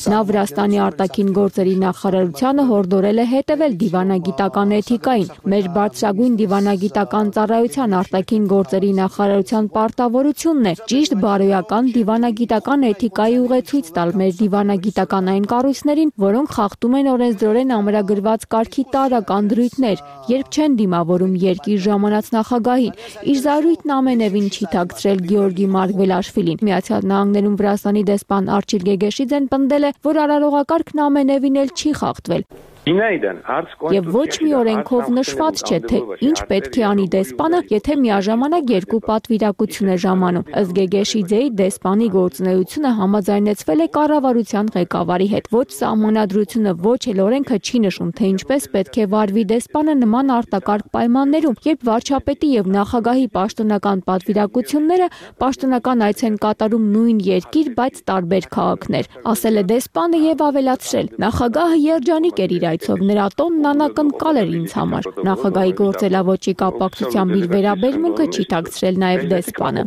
Նա Վրաստանի արտաքին գործերի նախարարությանը հորդորել է հետևել դիվանագիտական էթիկային։ Մեր բարձրագույն դիվանագիտական ծառայության արտաքին գործերի նախարարության պարտավորությունն է ճիշտ բարոյական դիվանագիտական էթիկայի ուղեցույց տալ մեր դիվանագիտական այն կառույցներին, որոնք խախտում են օրենսդրորեն ամրագրված կարգի տարրական դրույթներ, երբ չեն դիմավորում երկիր ժամանած նախագահին։ Իր զարույթն ամենևին չի թաքցրել Գեորգի Մարգվելաշվիլին։ Միացյալ Նահանգներում Վրաստանի դեսպան Արչիլ Գեգեշիձեն պնդել է, որ արարողակարգն ամենևին էլ չի խախտվել։ Եվ ոչ մի օրենքով նշված չէ, թե ինչ պետք է անի դեսպանը, եթե միաժամանակ երկու պատվիրակություն է ժամանում։ Ըստ Գեգեշիձեի դեսպանի գործունեությունը համաձայնեցվել է կառավարության ղեկավարի հետ։ Ոչ սահմանադրությունը, ոչ էլ օրենքը չի նշում, թե ինչպես պետք է վարվի դեսպանը նման արտակարգ պայմաններում, երբ վարչապետի եւ նախագահի պաշտոնական պատվիրակությունները պաշտոնական այց են կատարում նույն երկիր, բայց տարբեր քաղաքներ, ասել է դեսպանը եւ ավելացրել. նախագահը երջանիկ էր իր այցով, նրա տոնն անակնկալ էր ինձ համար։ Նախագահի գործելավոճի կապակցությամբ իր վերաբերմունքը չի թաքցրել նաեւ դեսպանը։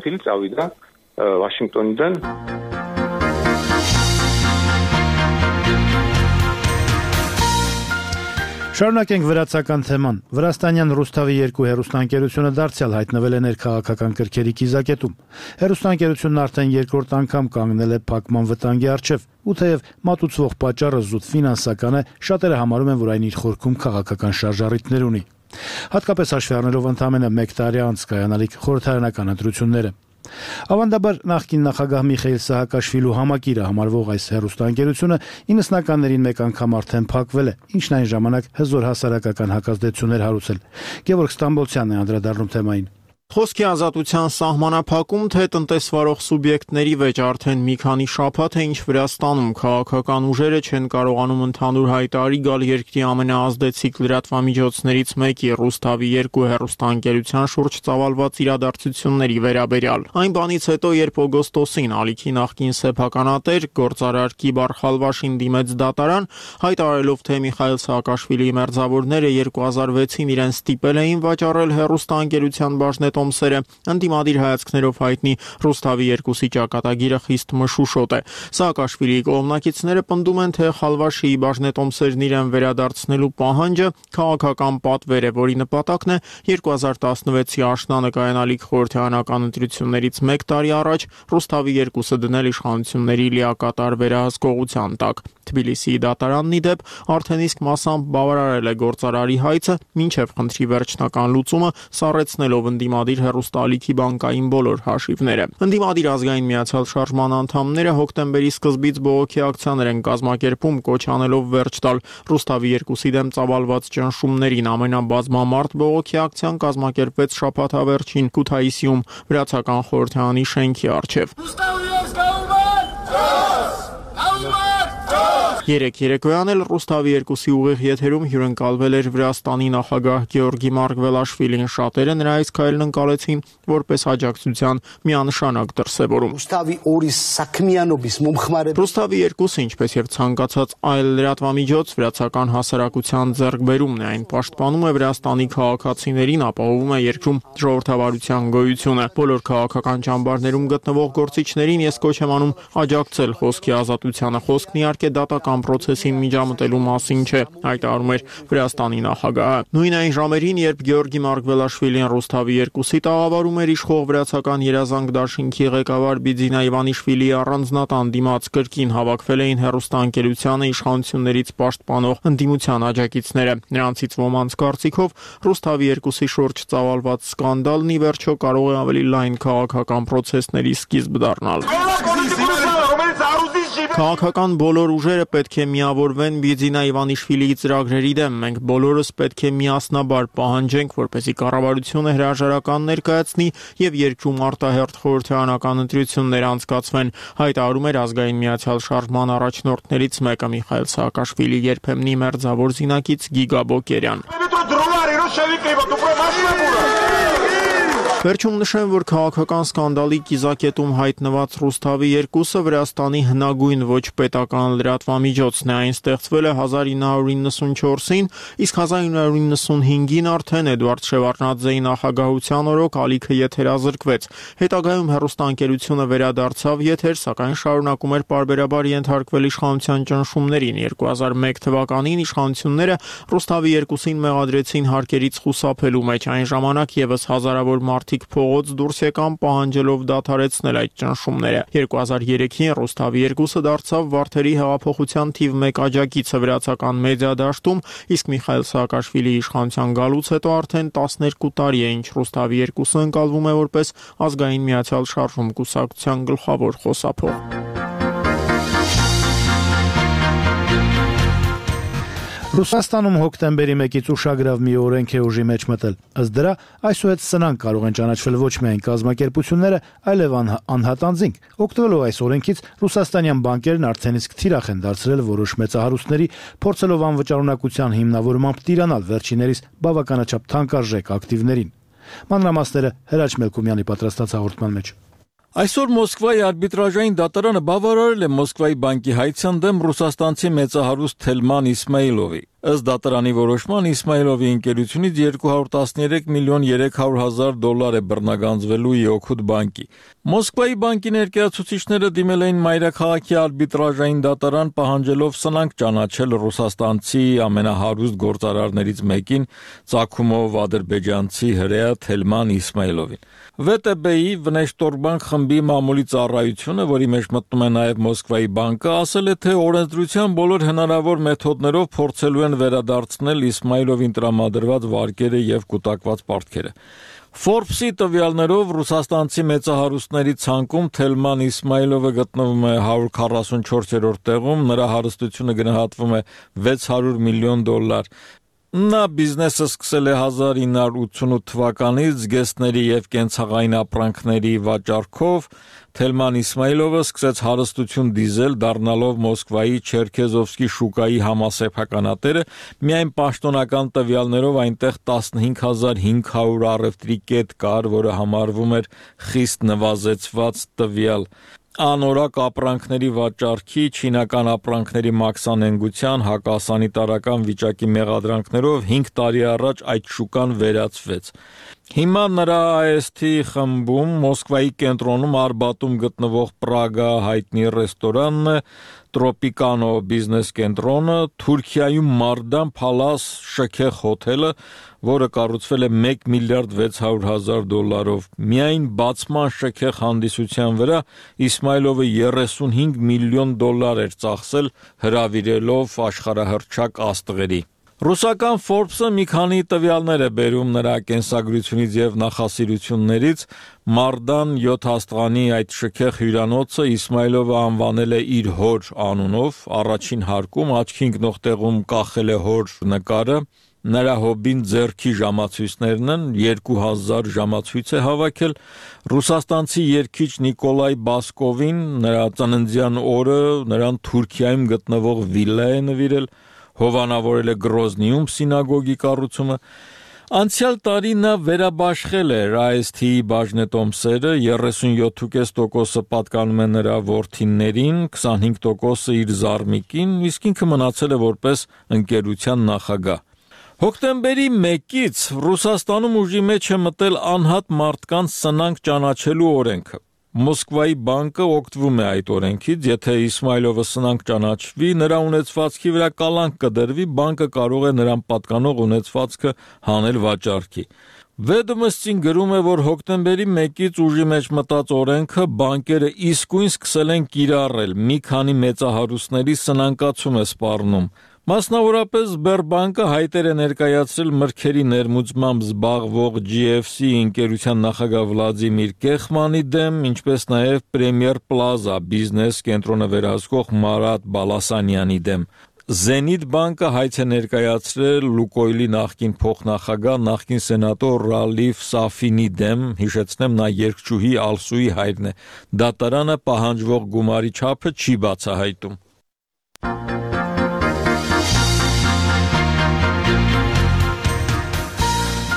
Շարունակենք վրացական թեման։ Վրաստանյան Ռուսթավի 2 հեռուստաընկերությունը դարձյալ հայտնվել է ներքաղաքական կրքերի կիզակետում։ Հեռուստաընկերությունն արդեն երկրորդ անգամ կանգնել է փակման վտանգի առջև, ու թեև մատուցվող պատճառը զուտ ֆինանսական է, շատերը համարում են, որ այն իր խորքում քաղաքական շարժառիթներ ունի։ Հատկապես հաշվի առնելով ընդամենը 1 տարի անց կայանալիք խորհրդարանական ընտրությունները։ Ավանդաբար նախկին նախագահ Միխայիլ Սահակաշվիլու համակիրը համարվող այս հեռուստաընկերությունը 90-ականներին մեկ անգամ արդեն փակվել է, ինչն այն ժամանակ հզոր հասարակական հակազդեցություններ հարուցել։ Գևորգ Ստամբոլցյանն է անդրադառնում թեմային։ Խոսքի ազատության սահմանափակում, թե տնտեսվարող սուբյեկտների վեճ արդեն մի քանի շաբաթ է, ինչ Վրաստանում քաղաքական ուժերը չեն կարողանում ընդհանուր հայտարարի գալ երկրի ամենաազդեցիկ լրատվամիջոցներից մեկի Ռուսթավի 2 հեռուստաընկերության շուրջ ծավալված իրադարձությունների վերաբերյալ։ Այն բանից հետո, երբ օգոստոսին ալիքի նախկին սեփականատեր գործարար Կիբար Խալվաշին դիմեց դատարան, հայտարարելով, թե Միխայիլ Սահակաշվիլիի մերձավորները 2006-ին իրեն ստիպել էին վաճառել հեռուստաընկերության բաժնետոմսերը, ընդդիմադիր հայացքներով հայտնի Ռուսթավի 2-ի ճակատագիրը խիստ մշուշոտ է։ Սահակաշվիլիի կողմնակիցները պնդում են, թե Խալվաշիի բաժնետոմսերն իրեն վերադարձնելու պահանջը քաղաքական պատվեր է, որի նպատակն է 2016-ի աշնանը կայանալիք խորհրդարանական ընտրություններից 1 տարի առաջ Ռուսթավի 2-ը դնել իշխանությունների լիակատար վերահսկողության տակ։ Թբիլիսիի դատարանն ի դեպ արդեն իսկ մասամբ բավարարել է գործարարի հայցը, մինչև խնդրի վերջնական լուծումը սառեցնելով ընդդիմադիր հեռուստաալիքի բանկային բոլոր հաշիվները։ Ընդդիմադիր ազգային միացյալ շարժման անդամները հոկտեմբերի սկզբից բողոքի ակցիաներ են կազմակերպում, կոչ անելով վերջ տալ Ռուսթավի 2-ի դեմ ծավալված ճնշումներին։ Ամենաբազմամարդ բողոքի ակցիան կազմակերպվեց շաբաթավերջին Քութայիսիում վրացական խորհրդարանի շենքի առջև։ Երեք երեկոյան էլ Ռուսթավի 2-ի ուղիղ եթերում հյուրընկալվել էր Վրաստանի նախագահ Գեորգի Մարգվելաշվիլին։ Շատերը նրա այս քայլն ընկալեցին որպես աջակցության միանշանակ դրսևորում։ Ռուսթավի 2-ը, ինչպես եւ ցանկացած այլ լրատվամիջոց, վրացական հասարակության ձեռքբերումն է, այն պաշտպանում է Վրաստանի քաղաքացիներին, ապահովում է երկրում ժողովրդավարության գոյությունը։ Բոլոր քաղաքական ճամբարներում գտնվող գործիչներին ես կոչ եմ անում աջակցել խոսքի ազատությանը։ Խոսքն իհարկե դատական պրոցեսին միջամտելու մասին չէ, հայտարարում էր Վրաստանի նախագահը։ Նույն այն ժամերին, երբ Գեորգի Մարգվելաշվիլին Ռուսթավի 2-ի տաղավարում էր, իշխող վրացական երազանք դաշինքի ղեկավար Բիձինա Իվանիշվիլիի առանձնատան դիմաց կրկին հավաքվել էին հեռուստաընկերությանը իշխանություններից պաշտպանող ընդդիմության աջակիցները։ Նրանցից ոմանց կարծիքով Ռուսթավի 2-ի շուրջ ծավալված սկանդալն ի վերջո կարող է ավելի լայն քաղաքական պրոցեսների սկիզբ դառնալ։ Քաղաքական բոլոր ուժերը պետք է միավորվեն Բիձինա Իվանիշվիլիի ծրագրերի դեմ։ Մենք բոլորս պետք է միասնաբար պահանջենք, որպեսզի կառավարությունը հրաժարական ներկայացնի եւ երկրում արտահերթ խորհրդարանական ընտրություններ անցկացվեն, հայտարարում էր ազգային միացյալ շարժման առաջնորդներից մեկը Միխայիլ Սահակաշվիլի երբեմնի մերձավոր զինակից Գիգա Բոկերյան։ Վերջում նշեմ, որ քաղաքական սկանդալի կիզակետում հայտնված Ռուսթավի 2-ը Վրաստանի հնագույն ոչ պետական լրատվամիջոցն է։ Այն ստեղծվել է 1994-ին, իսկ 1995-ին արդեն Էդուարդ Շևարդնաձեի նախագահության օրոք ալիքը եթերազրկվեց։ Հետագայում հեռուստաընկերությունը վերադարձավ եթեր, սակայն շարունակում էր պարբերաբար ենթարկվել իշխանության ճնշումներին։ 2001 թվականին իշխանությունները Ռուսթավի 2-ին մեղադրեցին հարկերից խուսափելու մեջ։ Այն ժամանակ եւս հազարավոր մարդիկ փողոց դուրս եկան պահանջելով դադարեցնել այդ ճնշումները։ 2003-ին Ռուսթավի 2-ը դարձավ Վարդերի հեղափոխության թիվ 1 աջակիցը վրացական մեդիա դաշտում, իսկ Միխայիլ Սահակաշվիլիի իշխանության գալուց հետո արդեն 12 տարի է, ինչ Ռուսթավի 2-ը ընկալվում է որպես ազգային միացյալ շարժում կուսակցության գլխավոր խոսափող։ Ռուսաստանում հոկտեմբերի 1-ից ուշագրավ մի օրենք է ուժի մեջ մտել։ Ըստ դրա, այսուհետ սնանկ կարող են ճանաչվել ոչ միայն կազմակերպությունները, այլև անհատ անձինք։ Օգտվելով այս օրենքից ռուսաստանյան բանկերն արդեն իսկ թիրախ են դարձրել որոշ մեծահարուստների, փորձելով անվճարունակության հիմնավորմամբ տիրանալ վերջիներիս բավականաչափ թանկարժեք ակտիվներին։ Մանրամասները Հրաչ Մելքումյանի պատրաստած հաղորդման մեջ։ Այսօր Մոսկվայի արբիտրաժային դատարանը բավարարել է Մոսկվայի բանկի հայցյան դեմ ռուսաստանցի մեծահարուստ Թելման Իսմայիլովի։ Ըստ դատարանի որոշման Իսմայիլովի ընկերությունից 213 միլիոն 300 հազար դոլար է բռնագանձվելու Իօքուդ բանկի։ Մոսկվայի բանկի ներկայացուցիչները դիմել էին մայրաքաղաքի արբիտրաժային դատարան պահանջելով սնանկ ճանաչել ռուսաստանցի ամենահարուստ գործարարներից մեկին, ծագումով ադրբեջանցի հրեա Թելման Իսմայիլովին։ ՎՏԲ-ի Վնեշտորբանկ խմբի մամուլի ծառայությունը, որի մեջ մտնում է նաև Մոսկվայի բանկը, ասել է, թե օրենսդրության բոլոր հնարավոր մեթոդներով փորձելու են վերադարձնել Իսմայիլովին տրամադրված վարկերը եւ կուտակված պարտքերը։ Forbes-ի տվյալներով ռուսաստանցի մեծահարուստների ցանկում Թելման Իսմայիլովը գտնվում է 144-րդ տեղում, նրա հարստությունը գնահատվում է 600 միլիոն դոլար։ Նա բիզնեսը սկսել է 1988 թվականից զգեստների եւ կենցաղային ապրանքների վաճառքով։ Թելման Իսմայիլովը սկսեց հարստություն դիզել, դառնալով Մոսկվայի Չերքեզովսկի շուկայի համասեփականատերը, միայն պաշտոնական տվյալներով այնտեղ 15500 առևտրի կետ կար, որը համարվում էր խիստ նվազեցված տվյալ։ Անորակ ապրանքների վաճառքի, չինական ապրանքների մաքսանենգության, հակասանիտարական վիճակի մեղադրանքներով 5 տարի առաջ այդ շուկան վերացվեց։ Հիմա նրա AST խմբում Մոսկվայի կենտրոնում Արբատում գտնվող Պրագա հայտնի ռեստորանն է, Տրոպիկանո բիզնես կենտրոնը, Թուրքիայում Մարդան Փալաս շքեղ հոթելը, որը կառուցվել է 1 միլիարդ 600 հազար դոլարով։ Միայն բացման շքեղ հանդիսության վրա Իսմայիլովը 35 միլիոն դոլար էր ծախսել, հրավիրելով աշխարհահռչակ աստղերի։ Ռուսական Forbes-ը մի քանի տվյալներ է բերում նրա կենսագրությունից եւ նախասիրություններից։ Մարդան 7 աստղանի այդ շքեղ հյուրանոցը Իսմայիլովը անվանել է իր հոր անունով, առաջին հարկում աչքի ընկնող տեղում կախել է հոր նկարը։ Նրա հոբին ձեռքի ժամացույցներն են, 2000 ժամացույց է հավաքել։ Ռուսաստանցի երգիչ Նիկոլայ Բասկովին նրա ծննդյան օրը նրան Թուրքիայում գտնվող վիլլա է նվիրել, հովանավորել է Գրոզնիում սինագոգի կառուցումը։ Անցյալ տարի նա վերաբաշխել է AST-ի բաժնետոմսերը, 37.5% պատկանում է նրա որդիներին, 25% իր զարմիկին, իսկ ինքը մնացել է որպես ընկերության նախագահ։ Հոկտեմբերի 1-ից Ռուսաստանում ուժի մեջ է մտել անհատ մարդկանց սնանկ ճանաչելու օրենքը։ Մոսկվայի բանկը օգտվում է այդ օրենքից, եթե Իսմայիլովը սնանկ ճանաչվի, նրա ունեցվածքի վրա կալանք կդրվի, բանկը կարող է նրան պատկանող ունեցվածքը հանել վաճառքի։ Ведомостին գրում է, որ հոկտեմբերի 1-ից ուժի մեջ մտած օրենքը բանկերը իսկույն սկսել են կիրառել, մի քանի մեծահարուստների սնանկացում է սպառնում։ Մասնավորապես Սբերբանկը հայտեր է ներկայացրել մրգերի ներմուծմամբ զբաղվող GFC ընկերության նախագահ Վլադիմիր Կեխմանի դեմ, ինչպես նաև Premier Plaza բիզնես կենտրոնը վերահսկող Մարատ Բալասանյանի դեմ։ Zenit բանկը հայց է ներկայացրել Լուկոյլի նախկին փոխնախագահ, նախկին սենատոր Ռալիֆ Սաֆինի դեմ, հիշեցնեմ, նա երգչուհի Ալսուի հայրն է։ Դատարանը պահանջվող գումարի չափը չի բացահայտում։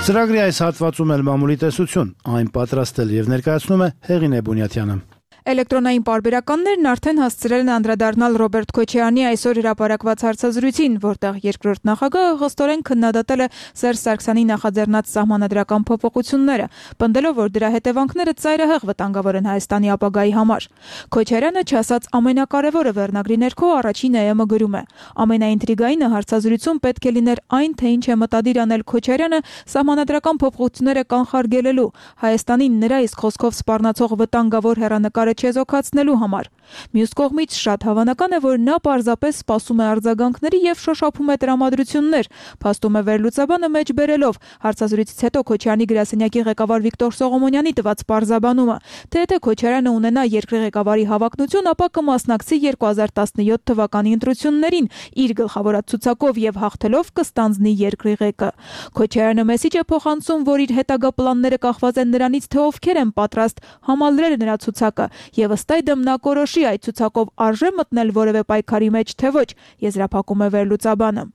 Ծրագրի այս հատվածում էլ մամուլի տեսություն, այն պատրաստել եւ ներկայացնում է Հեղինե Բունյաթյանը։ Էլեկտրոնային պարբերականներն արդեն հասցրել են անդրադառնալ Ռոբերտ Քոչարյանի այսօր հրապարակված հարցազրույցին, որտեղ երկրորդ նախագահը խստորեն քննադատել է Սերժ Սարգսյանի նախաձեռնած սահմանադրական փոփոխությունները, պնդելով, որ դրա հետևանքները ծայրահեղ վտանգավոր են Հայաստանի ապագայի համար։ Քոչարյանը չասած ամենակարևորը վերնագրի ներքո առաջին ԵՄ գրում է. ամենաինտրիգայինը հարցազրույցում պետք է լիներ այն, թե ինչ է մտադիր անել Քոչարյանը սահմանադրական փոփոխությունները կանխարգելելու, Հայաստանին նրա իսկ խոսքով սպառնացող վտանգավոր հեռանկարը ճանապարհը չեզոքացնելու համար։ Մյուս կողմից շատ հավանական է, որ նա պարզապես սպասում է արձագանքների եւ շոշափում է տրամադրություններ, փաստում է վերլուծաբանը մեջ բերելով հարցազրույցից հետո Քոչարյանի գրասենյակի ղեկավար Վիկտոր Սողոմոնյանի տված պարզաբանումը, թե եթե Քոչարյանը ունենա երկրի ղեկավարի հավակնություն, ապա կմասնակցի 2017 թվականի ընտրություններին իր գլխավորած ցուցակով եւ հաղթելով կստանձնի երկրի ղեկը։ Քոչարյանը մեսիջ է փոխանցում, որ իր հետագա պլանները կախված են նրանից, թե ովքեր են պատրաստ համալրել նրա ցուցակը եւ ըստ այդմ նա կորոշի այդ ցուցակով արժե մտնել որևէ պայքարի մեջ, թե ոչ, եզրափակում է վերլուծաբանը։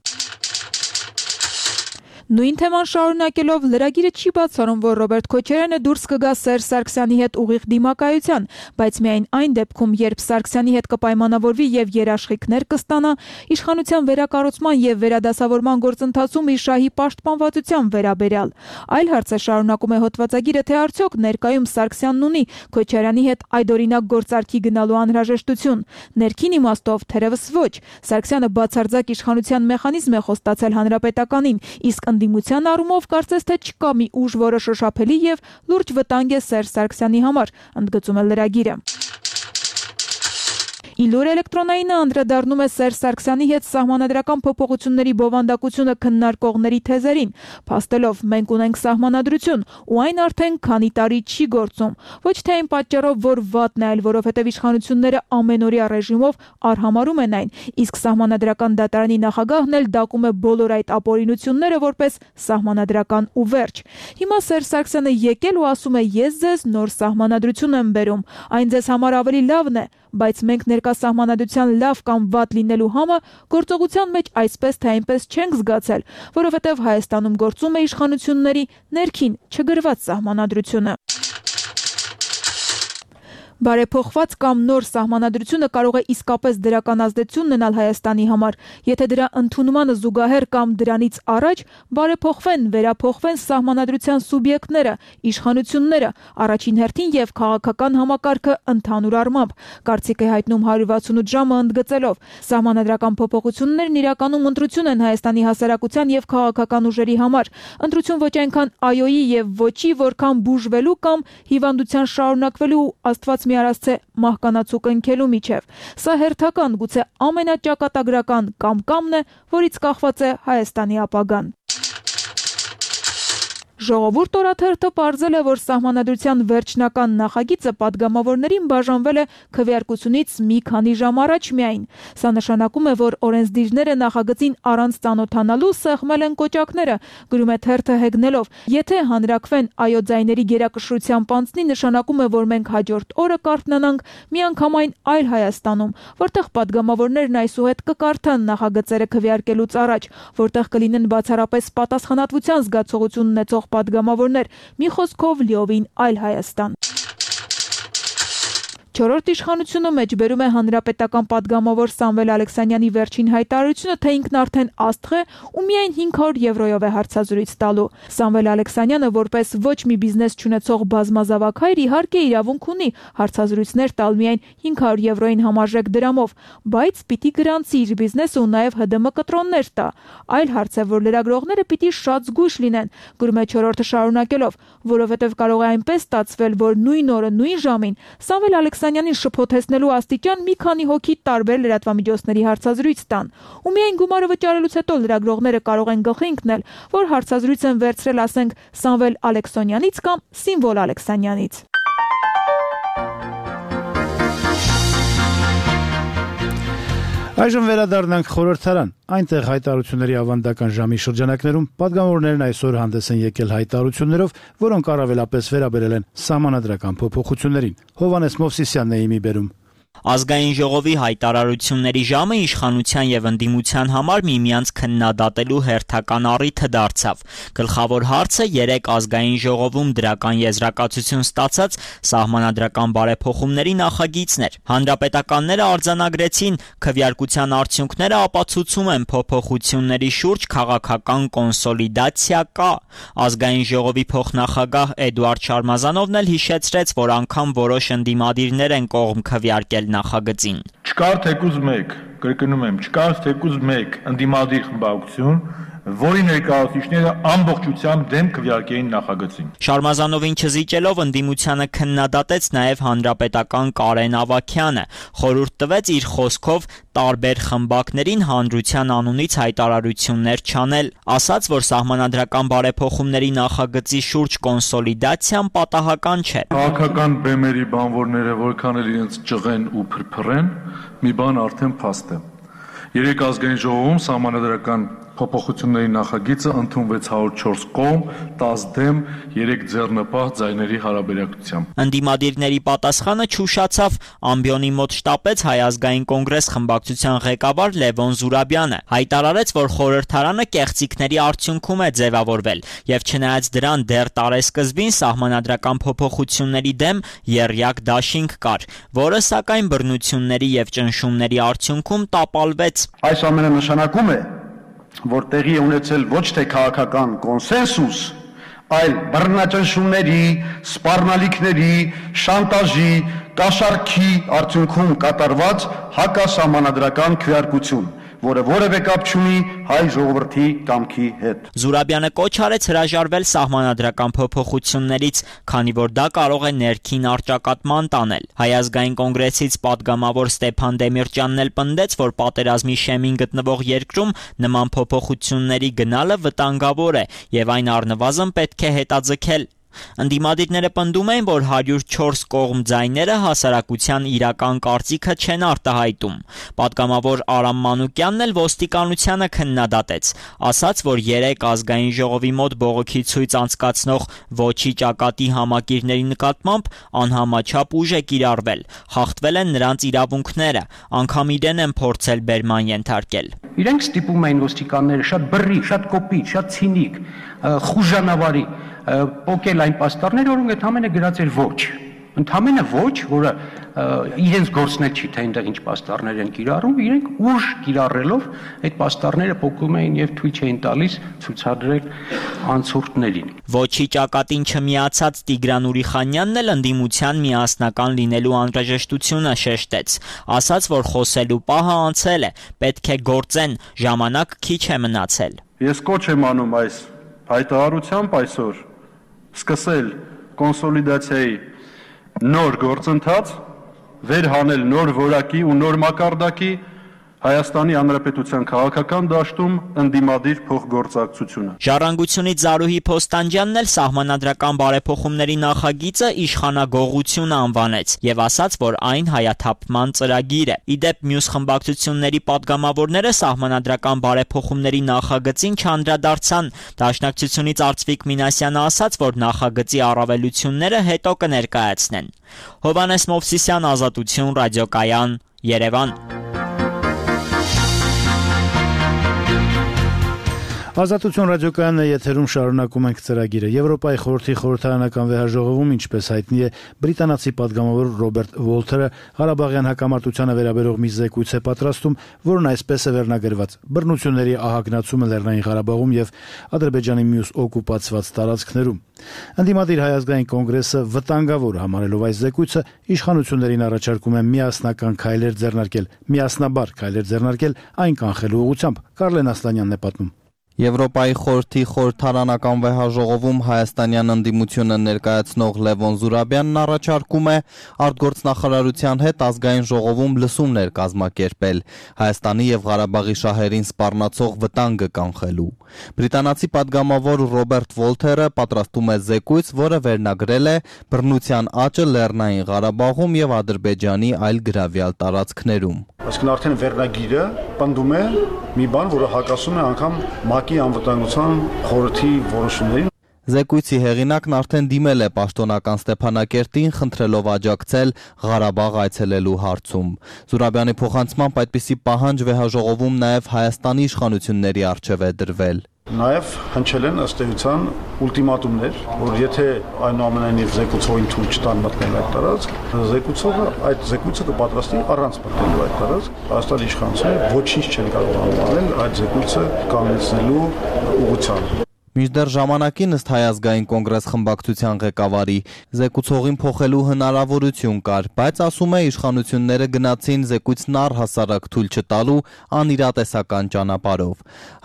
Նույն թեման շարունակելով լրագիրը չի բացառում, որ Ռոբերտ Քոչարյանը դուրս կգա Սերժ Սարգսյանի հետ ուղիղ դիմակայության, բայց միայն այն դեպքում, երբ Սարգսյանի հետ կպայմանավորվի եւ երաշխիքներ կստանա իշխանության վերակառուցման եւ վերադասավորման գործընթացում իր շահի պաշտպանվածության վերաբերյալ։ Այլ հարց է, շարունակում է հոդվածագիրը, թե արդյոք ներկայում Սարգսյանն ունի Քոչարյանի հետ այդօրինակ գործարքի գնալու անհրաժեշտություն։ Ներքին իմաստով թերևս ոչ։ Սարգսյանը բացարձակ իշխանության մեխանիզմ է խոստացել հանրապետականին, իսկ ընդդիմության առումով կարծես թե չկա մի ուժ, որը շոշափելի եւ լուրջ վտանգ է Սերժ Սարգսյանի համար, ընդգծում է լրագիրը։ Իլուր էլեկտրոնայինը անդրադառնում է Սերժ Սարգսյանի հետ սահմանադրական փոփոխությունների բովանդակությունը քննարկողների թեզերին, փաստելով մենք ունենք սահմանադրություն ու այն արդեն քանի տարի չի գործում, ոչ թե այն պատճառով, որ վատն է, այլ որովհետև իշխանությունները ամենօրյա ռեժիմով արհամարհում են այն, իսկ սահմանադրական դատարանի նախագահն էլ դակում է բոլոր այդ ապօրինությունները որպես սահմանադրական ու վերջ։ Հիմա Սերժ Սարգսյանը եկել ու ասում է ես ձեզ նոր սահմանադրություն եմ բերում, այն ձեզ համար ավելի լավն է, բայց մենք ներկա սահմանադրության լավ կամ վատ լինելու համը գործողության մեջ այսպես թե այնպես չենք զգացել, որովհետև Հայաստանում գործում է իշխանությունների ներքին չգրված սահմանադրությունը։ Բարեփոխված կամ նոր սահմանադրությունը կարող է իսկապես դրական ազդեցություն ունենալ Հայաստանի համար, եթե դրա ընդունմանը զուգահեռ կամ դրանից առաջ բարեփոխվեն, վերափոխվեն սահմանադրության սուբյեկտները, իշխանությունները, առաջին հերթին եւ քաղաքական համակարգը ընդհանուր առմամբ, կարծիք է հայտնում 168 ժամը ընդգծելով. սահմանադրական փոփոխություններն իրականում ընտրություն են Հայաստանի հասարակության եւ քաղաքական ուժերի համար, ընտրություն ոչ այնքան այոյի եւ ոչի, որքան բուժվելու կամ հիվանդության շարունակվելու Աստված մի արասցե մահկանացու կնքելու միջև։ Սա հերթական, գուցե ամենաճակատագրական կամկամն է, որից կախված է Հայաստանի ապագան։ Ժողովուրդ օրաթերթը պարզել է, որ սահմանադրության վերջնական նախագիծը падգամավորներին բաժանվել է քվեարկությունից մի քանի ժամ առաջ միայն։ Սա նշանակում է, որ օրենսդիրները նախագծին առանց ծանոթանալու սեղմել են կոճակները, գրում է թերթը հեգնելով. եթե հանրակվեն այո ձայների գերակշռությամբ անցնի, նշանակում է, որ մենք հաջորդ օրը կարթնանանք միանգամայն այլ Հայաստանում, որտեղ падգամավորներն այսուհետ կկարդան նախագծերը քվեարկելուց առաջ, որտեղ կլինեն բացառապես պատասխանատվության զգացողություն ունեցող падգամավորներ, մի խոսքով լիովին այլ Հայաստան։ Չորրորդ իշխանությունը մեջբերում է հանրապետական падգամավոր Սամվել Ալեքսանյանի վերջին հայտարարությունը, թե ինքն արդեն աստղ է ու միայն 500 եվրոյով է հարցազրույց տալու։ Սամվել Ալեքսանյանը որպես ոչ մի բիզնես չունեցող բազմազավակ հայր իհարկե իրավունք ունի հարցազրույցներ տալ միայն 500 եվրոյին համարժեք դրամով, բայց պիտի գրանցի իր բիզնեսը ու նաև ՀԴՄ կտրոններ տա։ Այլ հարց է, որ լրագրողները պիտի շատ զգույշ լինեն, գրում է չորրորդը շարունակելով, որովհետև կարող է այնպես ստացվել, որ նույն օրը, նույն ժամին Սամվել Ալեքսանյանին շփոթեցնելու աստիճան մի քանի հոգի տարբեր լրատվամիջոցների հարցազրույց տան, ու միայն գումարը վճարելուց հետո լրագրողները կարող են գլխի ընկնել, որ հարցազրույց են վերցրել, ասենք, Սամվել Ալեքսանյանից կամ Սիմվոլ Ալեքսանյանից։ Այժմ վերադառնանք խորհրդարան։ Այնտեղ հայտարարությունների ավանդական ժամի շրջանակներում падգամավորներն այսօր հանդես են եկել հայտարարություններով, որոնք առավելապես վերաբերել են սահմանադրական փոփոխություններին։ Հովհաննես Մովսիսյանն է իմի բերում։ Ազգային ժողովի հայտարարությունների ժամը իշխանության եւ ընդդիմության համար միմյանց քննադատելու հերթական առիթը դարձավ։ Գլխավոր հարցը 3 ազգային ժողովում դրական եզրակացություն ստացած սահմանադրական բարեփոխումների նախագիծն էր։ Հանրապետականները արձանագրեցին, քվեարկության արդյունքները ապացուցում են փոփոխությունների շուրջ քաղաքական կոնսոլիդացիա կա։ Ազգային ժողովի փոխնախագահ Էդուարդ Շարմազանովն էլ հիշեցրեց, որ անգամ որոշ ընդդիմադիրներ են կողմ քվեարկել նախագծին։ Չկար թեկուզ մեկ, կրկնում եմ, չկար թեկուզ մեկ ընդդիմադիր խմբակցություն, որի ներկայացուցիչները ամբողջությամբ դեմ քվեարկեին նախագծին։ Շարմազանովին չզիջելով ընդդիմությանը քննադատեց նաև հանրապետական Կարեն Ավագյանը, խորհուրդ տվեց իր խոսքով տարբեր խմբակներին հանրության անունից հայտարարություններ չանել, ասաց, որ սահմանադրական բարեփոխումների նախագծի շուրջ կոնսոլիդացիան պատահական չէ։ Քաղաքական բեմերի բանվորները որքան էլ իրենց ճղեն ու փրփրեն, մի բան արդեն փաստ է։ Երեք ազգային ժողովում սահմանադրական փոփոխությունների նախագիծը ընդունվեց 104 կողմ, 10 դեմ, 3 ձեռնպահ ձայների հարաբերակցությամբ։ Ընդդիմադիրների պատասխանը չուշացավ, ամբիոնի մոտ շտապեց Հայ ազգային կոնգրես խմբակցության ղեկավար Լևոն Զուրաբյանը, հայտարարեց, որ խորհրդարանը կեղծիքների արդյունքում է ձևավորվել, եւ չնայած դրան դեռ տարեսկզբին սահմանադրական փոփոխությունների դեմ եռյակ դաշինք կար, որը սակայն բռնությունների եւ ճնշումների արդյունքում տապալվեց։ Այս ամենը նշանակում է, որ տեղի է ունեցել ոչ թե քաղաքական կոնսենսուս, այլ բռնաճնշումների, սպառնալիքների, շանտաժի, կաշառքի արդյունքում կատարված հակասահմանադրական քվեարկություն, որը որևէ կապ չունի հայ ժողովրդի կամքի հետ։ Զուրաբյանը կոչ արեց հրաժարվել սահմանադրական փոփոխություններից, քանի որ դա կարող է ներքին առճակատման տանել։ Հայ ազգային կոնգրեսից պատգամավոր Ստեփան Դեմիրճյանն էլ պնդեց, որ պատերազմի շեմին գտնվող երկրում նման փոփոխությունների գնալը վտանգավոր է եւ այն առնվազն պետք է հետաձգել։ Ընդդիմադիրները պնդում էին, որ 104 կողմ ձայները հասարակության իրական կարծիքը չեն արտահայտում։ Պատգամավոր Արամ Մանուկյանն էլ ոստիկանությանը քննադատեց, ասաց, որ 3 ազգային ժողովի մոտ բողոքի ցույց անցկացնող ոչի ճակատի համակիրների նկատմամբ անհամաչափ ուժ է կիրառվել, խախտվել են նրանց իրավունքները, անգամ իրեն են փորձել բերման ենթարկել։ Իրենք ստիպում էին ոստիկանները շատ բռի, շատ կոպիտ, շատ ցինիկ, խուժանավարի պոկել այն պաստառները, որոնք ընդհանրապես գրած էր ոչ։ Ընդհանրապես ոչ, որը իրենց գործնել չի, թե այնտեղ ինչ պաստառներ են կիրառում, իրենք ուժ կիրառելով այդ պաստառները պոկում էին եւ թույլ չէին տալիս ցուցադրել անցորդներին։ Ոչի ճակատին չմիացած Տիգրան Ուրիխանյանն էլ ընդդիմության միասնական լինելու անհրաժեշտությունը շեշտեց, ասաց, որ խոսելու պահը անցել է, պետք է գործեն, ժամանակ քիչ է մնացել։ Ես կոչ եմ անում այս հայտարարությամբ այսօր սկսել կոնսոլիդացիայի նոր գործընթաց, վերհանել նոր որակի ու նոր մակարդակի Հայաստանի Հանրապետության քաղաքական դաշտում ընդդիմադիր փոխգործակցությունը։ Ժառանգությունից Զարուհի Փոստանջյանն էլ սահմանադրական բարեփոխումների նախագիծը իշխանագողություն անվանեց եւ ասաց, որ այն հայաթափման ծրագիր է։ Իդեպ մյուս խմբակցությունների պատգամավորները սահմանադրական բարեփոխումների նախագծին չանդրադարձան։ Դաշնակցությունից Արծվիկ Մինասյանը ասաց, որ նախագծի առավելությունները հետո կներկայացնեն։ Հովհաննես Մովսիսյան, Ազատություն, Ռադիոկայան, Երևան։ Ազատություն ռադիոկայանն է եթերում, շարունակում ենք ծրագիրը։ Եվրոպայի խորհրդի խորհրդարանական վեհաժողովում, ինչպես հայտնի է, բրիտանացի պատգամավոր Ռոբերտ Վոլթերը Ղարաբաղյան հակամարտությանը վերաբերող մի զեկույց է պատրաստում, որն այսպես է վերնագրված. բռնությունների ահագնացումը Լեռնային Ղարաբաղում եւ Ադրբեջանի մյուս օկուպացված տարածքներում։ Ընդդիմադիր Հայ ազգային կոնգրեսը վտանգավոր համարելով այս զեկույցը իշխանություններին առաջարկում է միասնական քայլեր ձեռնարկել, միասնաբար քայլեր ձեռնարկել այն կանխելու ուղղությամբ։ Կարլեն Ասլանյանն է պատմում։ Եվրոպայի խորհրդի խորհրդարանական վեհաժողովում հայաստանյան ընդդիմությունը ներկայացնող Լևոն Զուրաբյանն առաջարկում է արտգործնախարարության հետ ազգային ժողովում լսումներ կազմակերպել Հայաստանի եւ Ղարաբաղի շահերին սպառնացող վտանգը կանխելու։ Բրիտանացի պատգամավոր Ռոբերտ Վոլթերը պատրաստում է զեկույց, որը վերնագրել է բռնության աճը Լեռնային Ղարաբաղում եւ Ադրբեջանի այլ գրավյալ տարածքներում։ Այսինքն արդեն վերնագիրը պնդում է մի բան, որը հակասում է անգամ ՄԱԿ-ի անվտանգության խորհրդի որոշումներին։ Զեկույցի հեղինակն արդեն դիմել է պաշտոնական Ստեփանակերտին, խնդրելով աջակցել Ղարաբաղ այցելելու հարցում։ Զուրաբյանի փոխանցմամբ այդպիսի պահանջ վեհաժողովում նաև Հայաստանի իշխանությունների առջև է դրվել։ Նաև հնչել են ըստ էության ուլտիմատումներ, որ եթե այնուամենայնիվ զեկուցողին թույլ չտան մտնել այդ տարածք, զեկուցողը այդ զեկույցը կպատրաստի առանց մտնելու այդ տարածք։ Հայաստանի իշխանությունները ոչինչ չեն կարող անել այդ զեկույցը կանգնեցնելու ուղղությամբ։ Մինչդեռ ժամանակին ըստ Հայ ազգային կոնգրես խմբակցության ղեկավարի զեկուցողին փոխելու հնարավորություն կար, բայց ասում է իշխանությունները գնացին զեկույցն առհասարակ թույլ չտալու անիրատեսական ճանապարհով։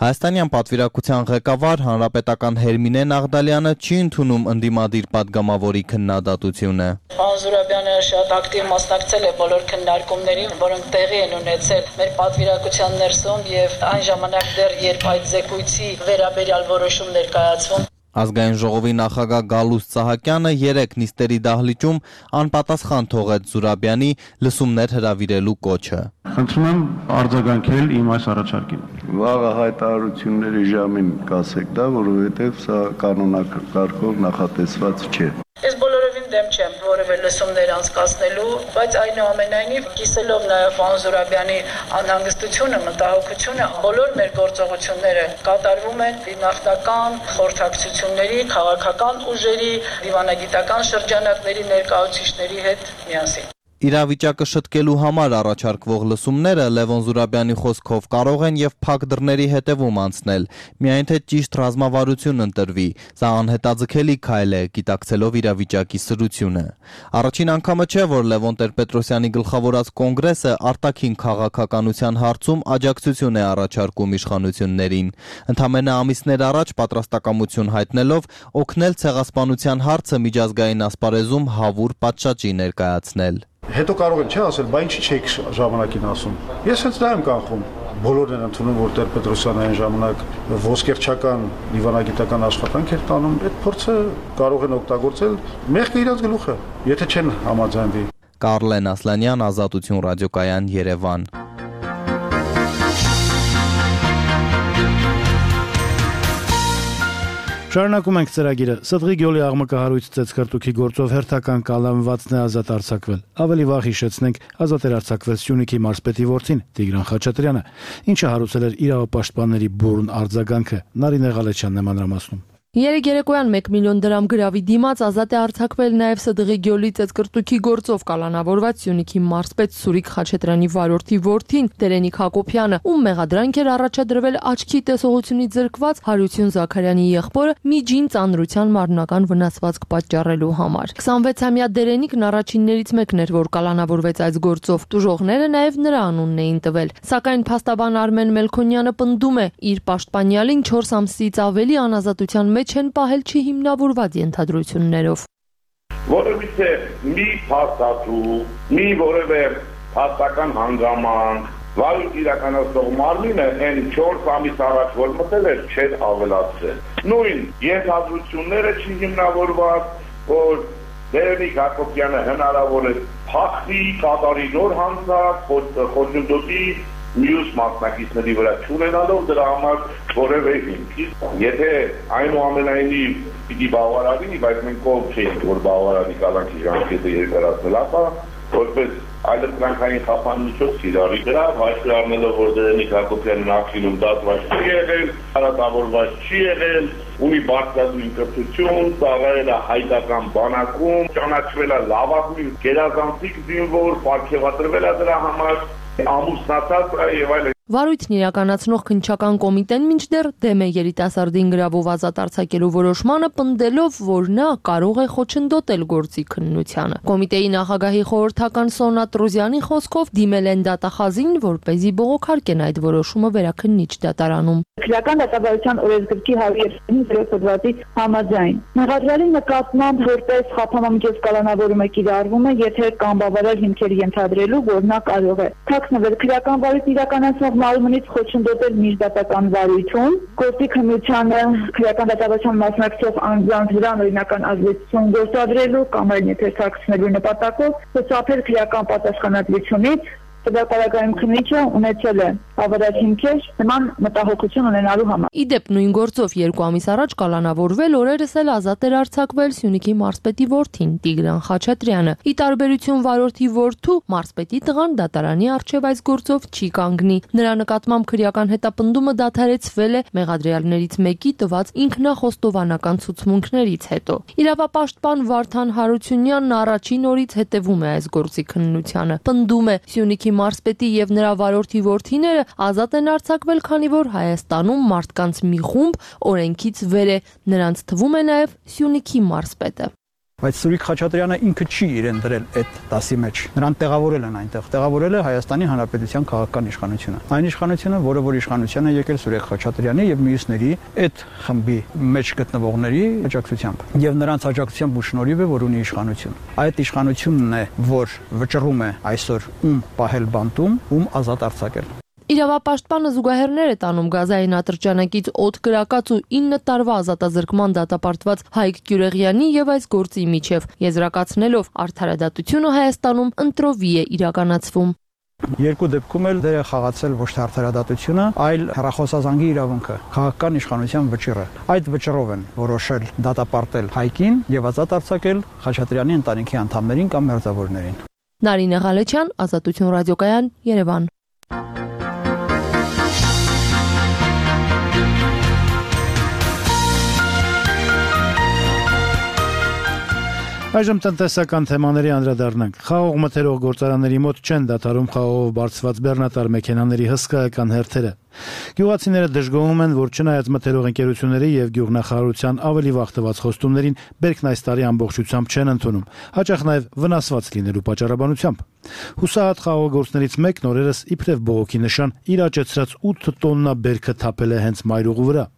Հայաստանյան պատվիրակության ղեկավար հանրապետական Հերմինե Նաղդալյանը չի ընդունում ընդդիմադիր падգամավորի քննադատությունը։ Պարոն Զուրաբյանը շատ ակտիվ մասնակցել է բոլոր քննարկումներին, որոնք տեղի են ունեցել մեր պատվիրակության ներսում եւ այն ժամանակ դեռ երբ այդ զեկույցի վերաբերյալ որոշում ներկայացվում։ Ազգային ժողովի նախագահ Գալուստ Սահակյանը 3 նիստերի դահլիճում անպատասխան թողեց Զուրաբյանի լսումներ հրավիրելու կոչը։ Խնդրում եմ արձագանքել իմ այս առաջարկին։ Վաղը հայտարարությունների ժամին կասեք դա, որովհետև սա կանոնակարգով նախատեսված չէ։ Ես բոլորովին դեմ չեմ որևէ լսումներ անցկացնելու, բայց այնուամենայնիվ կիսելով նաև պարոն Զուրաբյանի անհանգստությունը, մտահոգությունը, բոլոր մեր գործողությունները կատարվում են նախնական խորհրդակցությունների, քաղաքական ուժերի, դիվանագիտական շրջանակների ներկայացուցիչների հետ միասին։ Իրավիճակը շտկելու համար առաջարկվող լսումները Լևոն Զուրաբյանի խոսքով կարող են եւ փակ դռների հետևում անցնել, միայն թե ճիշտ ռազմավարություն ընտրվի։ Սա անհետաձգելի քայլ է, գիտակցելով իրավիճակի սրությունը։ Առաջին անգամը չէ, որ Լևոն Տեր-Պետրոսյանի գլխավորած կոնգրեսը արտաքին քաղաքականության հարցում աջակցություն է առաջարկում իշխանություններին։ Ընդամենը ամիսներ առաջ պատրաստակամություն հայտնելով օգնել ցեղասպանության հարցը միջազգային ասպարեզում հավուր պատշաճի ներկայացնել։ Հետո կարող են ասել, բա ինչի չեք ժամանակին ասում։ Ես հենց դա եմ կանխում։ Բոլորն են ընդունում, որ Տեր-Պետրոսյանը այն ժամանակ ոսկերչական դիվանագիտական աշխատանք էր տանում, այդ փորձը կարող են օգտագործել մեղքը իրաց գլուխը, եթե չեն համաձայնվի։ Կարլեն Ասլանյան, Ազատություն ռադիոկայան, Երևան։ Շարունակում ենք ծրագիրը։ Սդղի գյոլի աղմկահարույց ծեծկրտուքի գործով հերթական կալանվածն է ազատ արձակվել։ Ավելի վաղ հիշեցնենք, ազատ էր արձակվել Սյունիքի մարզպետի որդին Տիգրան Խաչատրյանը, ինչը հարուցել էր իրավապաշտպանների բուրըն արձագանքը։ Նարինե Ղալեչյանն է մանրամասնում։ Երեկ երեկոյան 1 միլիոն դրամ գրավի դիմաց ազատ է արձակվել նաև Սդղի գյոլի ծեծկրտուքի գործով կալանավորված Սյունիքի մարզպետ Սուրիկ Խաչատրյանի վարորդի որդին Տերենիկ Հակոբյանը, ում մեղադրանք էր առաջադրվել աչքի տեսողությունից զրկված Հարություն Զաքարյանի եղբորը միջին ծանրության մարմնական վնասվածք պատճառելու համար։ 26-ամյա Տերենիկն առաջիններից մեկն էր, որ կալանավորվեց այս գործով։ Տուժողները նաև նրա անունն էին տվել։ Սակայն փաստաբան Արմեն Մելքոնյանը պնդում է, իր պաշտպանյալին 4 ամսից ավելի անազատության մեջ չեն պահել չհիմնավորված ենթադրություններով։ Որովհետև մի փաստաթու, մի որևէ փաստական հանգամանք, վարույթ իրականացնող մարմինը այն 4 ամիս առաջ որ մտել էր, չէր ավելացրել։ Նույն ենթադրությունները չհիմնավորված, որ Տերենիկ Հակոբյանը հնարավոր է փախցի, կատարի նոր հանցանք, խոչընդոտի մյուս մասնակիցների վրա չունենալով դրա համար որևէ հիմք։ Եթե այնուամենայնիվ պիտի բավարարի, բայց մենք ով չենք, որ բավարարի կալանքի ժամկետը երկարացնել, ապա որպես այլընտրանքային խափանմիջոց իրարի դրա հաշվի առնելով, որ Տերենիկ Հակոբյանը նախինում դատված չի եղել, հարատավորված չի եղել, ունի բարձրագույն կրթություն, ծառայել է հայկական բանակում, ճանաչվել է լավագույն գերազանցիկ զինվոր, պարգևատրվել է դրա համար, ամուսնացած եւ այլն։ Վարույթն իրականացնող քննչական կոմիտեն մինչդեռ դեմ է երիտասարդին գրավով ազատ արձակելու որոշմանը, պնդելով, որ նա կարող է խոչընդոտել գործի քննությանը։ Կոմիտեի նախագահի խորհրդական Սոնա Տրոզյանի խոսքով դիմել են դատախազին, որպեսզի բողոքարկեն այդ որոշումը վերաքննիչ դատարանում։ Քրեական դատավարության օրենսգրքի 130 հոդվածի համաձայն մեղադրյալի նկատմամբ որպես խափանամիջոց կալանավորումը կիրառվում է, եթե կան բավարար հիմքեր ենթադրելու, որ նա կարող է թաքնվել քրեական վարույթ իրականացնող մարմնից խոչընդոտել միջդատական վարույթում, գործի քննությանը քրեական դատավարության մասնակցող անձանց վրա օրինական ազդեցություն գործադրելու կամ այլ ներթաքցնելու նպատակով խուսափել քրեական պատասխանատվությունից, Սպիտակարագայում քննիչը ունեցել է բավարար հիմքեր նման մտահոգություն ունենալու համար։ Իդեպ նույն գործով 2 ամիս առաջ կալանավորվել, օրերս էլ ազատ էր արձակվել Սյունիքի մարզպետի որդին Տիգրան Խաչատրյանը։ Ի տարբերություն վարորդի որդու, մարզպետի տղան դատարանի առջև այս գործով չի կանգնի։ Նրա նկատմամբ քրեական հետապնդումը դադարեցվել է մեղադրյալներից մեկի տված ինքնախոստովանական ցուցմունքներից հետո։ Իրավապաշտպան Վարդան Հարությունյանն առաջին օրից հետևում է այս գործի քննությանը։ Պնդում է Սյունիքի մարզպետի եւ նրա վարորդի որդիները ազատ են արձակվել, քանի որ Հայաստանում մարդկանց մի խումբ օրենքից վեր է, նրանց թվում է նաև Սյունիքի մարզպետը։ Բայց Սուրիկ Խաչատրյանը ինքը չի իրեն դրել այդ դասի մեջ։ Նրան տեղավորել են այնտեղ։ Տեղավորել է Հայաստանի Հանրապետության քաղաքական իշխանությունը։ Այն իշխանությունը, որ իշխանության է եկել Սուրիկ Խաչատրյանի եւ մյուսների այդ խմբի մեջ գտնվողների աջակցությամբ։ Եվ նրանց աջակցությամբ ու շնորհիվ է, որ ունի իշխանություն։ Այդ իշխանությունն է, որ վճռում է այսօր ում պահել բանտում, ում ազատ արձակել։ Իրավապաշտպանը զուգահեռներ է տանում գազային ատրճանակից օդ կրակած ու 9 տարվա ազատազրկման դատապարտված Հայկ Գյուրեղյանի եւ այս գործի միջև, եզրակացնելով արդարադատությունը Հայաստանում ընտրովի է իրականացվում։ Երկու դեպքում էլ դեր է խաղացել ոչ թե արդարադատությունը, այլ հեռախոսազանգի իրավունքը, քաղաքական իշխանության վճիռը։ Այդ վճռով են որոշել դատապարտել Հայկին եւ ազատ արձակել Խաչատրյանի ընտանիքի անդամներին կամ մերձավորներին։ Նարինե Ղալեչյան, Ազատություն ռադիոկայան, Երևան։ Այժմ տնտեսական թեմաների անդրադառնանք։ Խաղող մթերող գործարանների մոտ չեն դադարում խաղողով բարձված բեռնատար մեքենաների հսկայական հերթերը։ Գյուղացիները դժգոհում են, որ չնայած մթերող ընկերությունների եւ գյուղնախարարության ավելի վախտված խոստումներին, բերքն այս տարի ամբողջությամբ չեն ընդունում, հաճախ նաեւ վնասված լինելու պատճառաբանությամբ։ Հուսահատ խաղողագործներից մեկն օրերս իբրև բողոքի նշան իր աճեցրած 8 տոննա բերքը թափել է հենց մայրուղու վրա։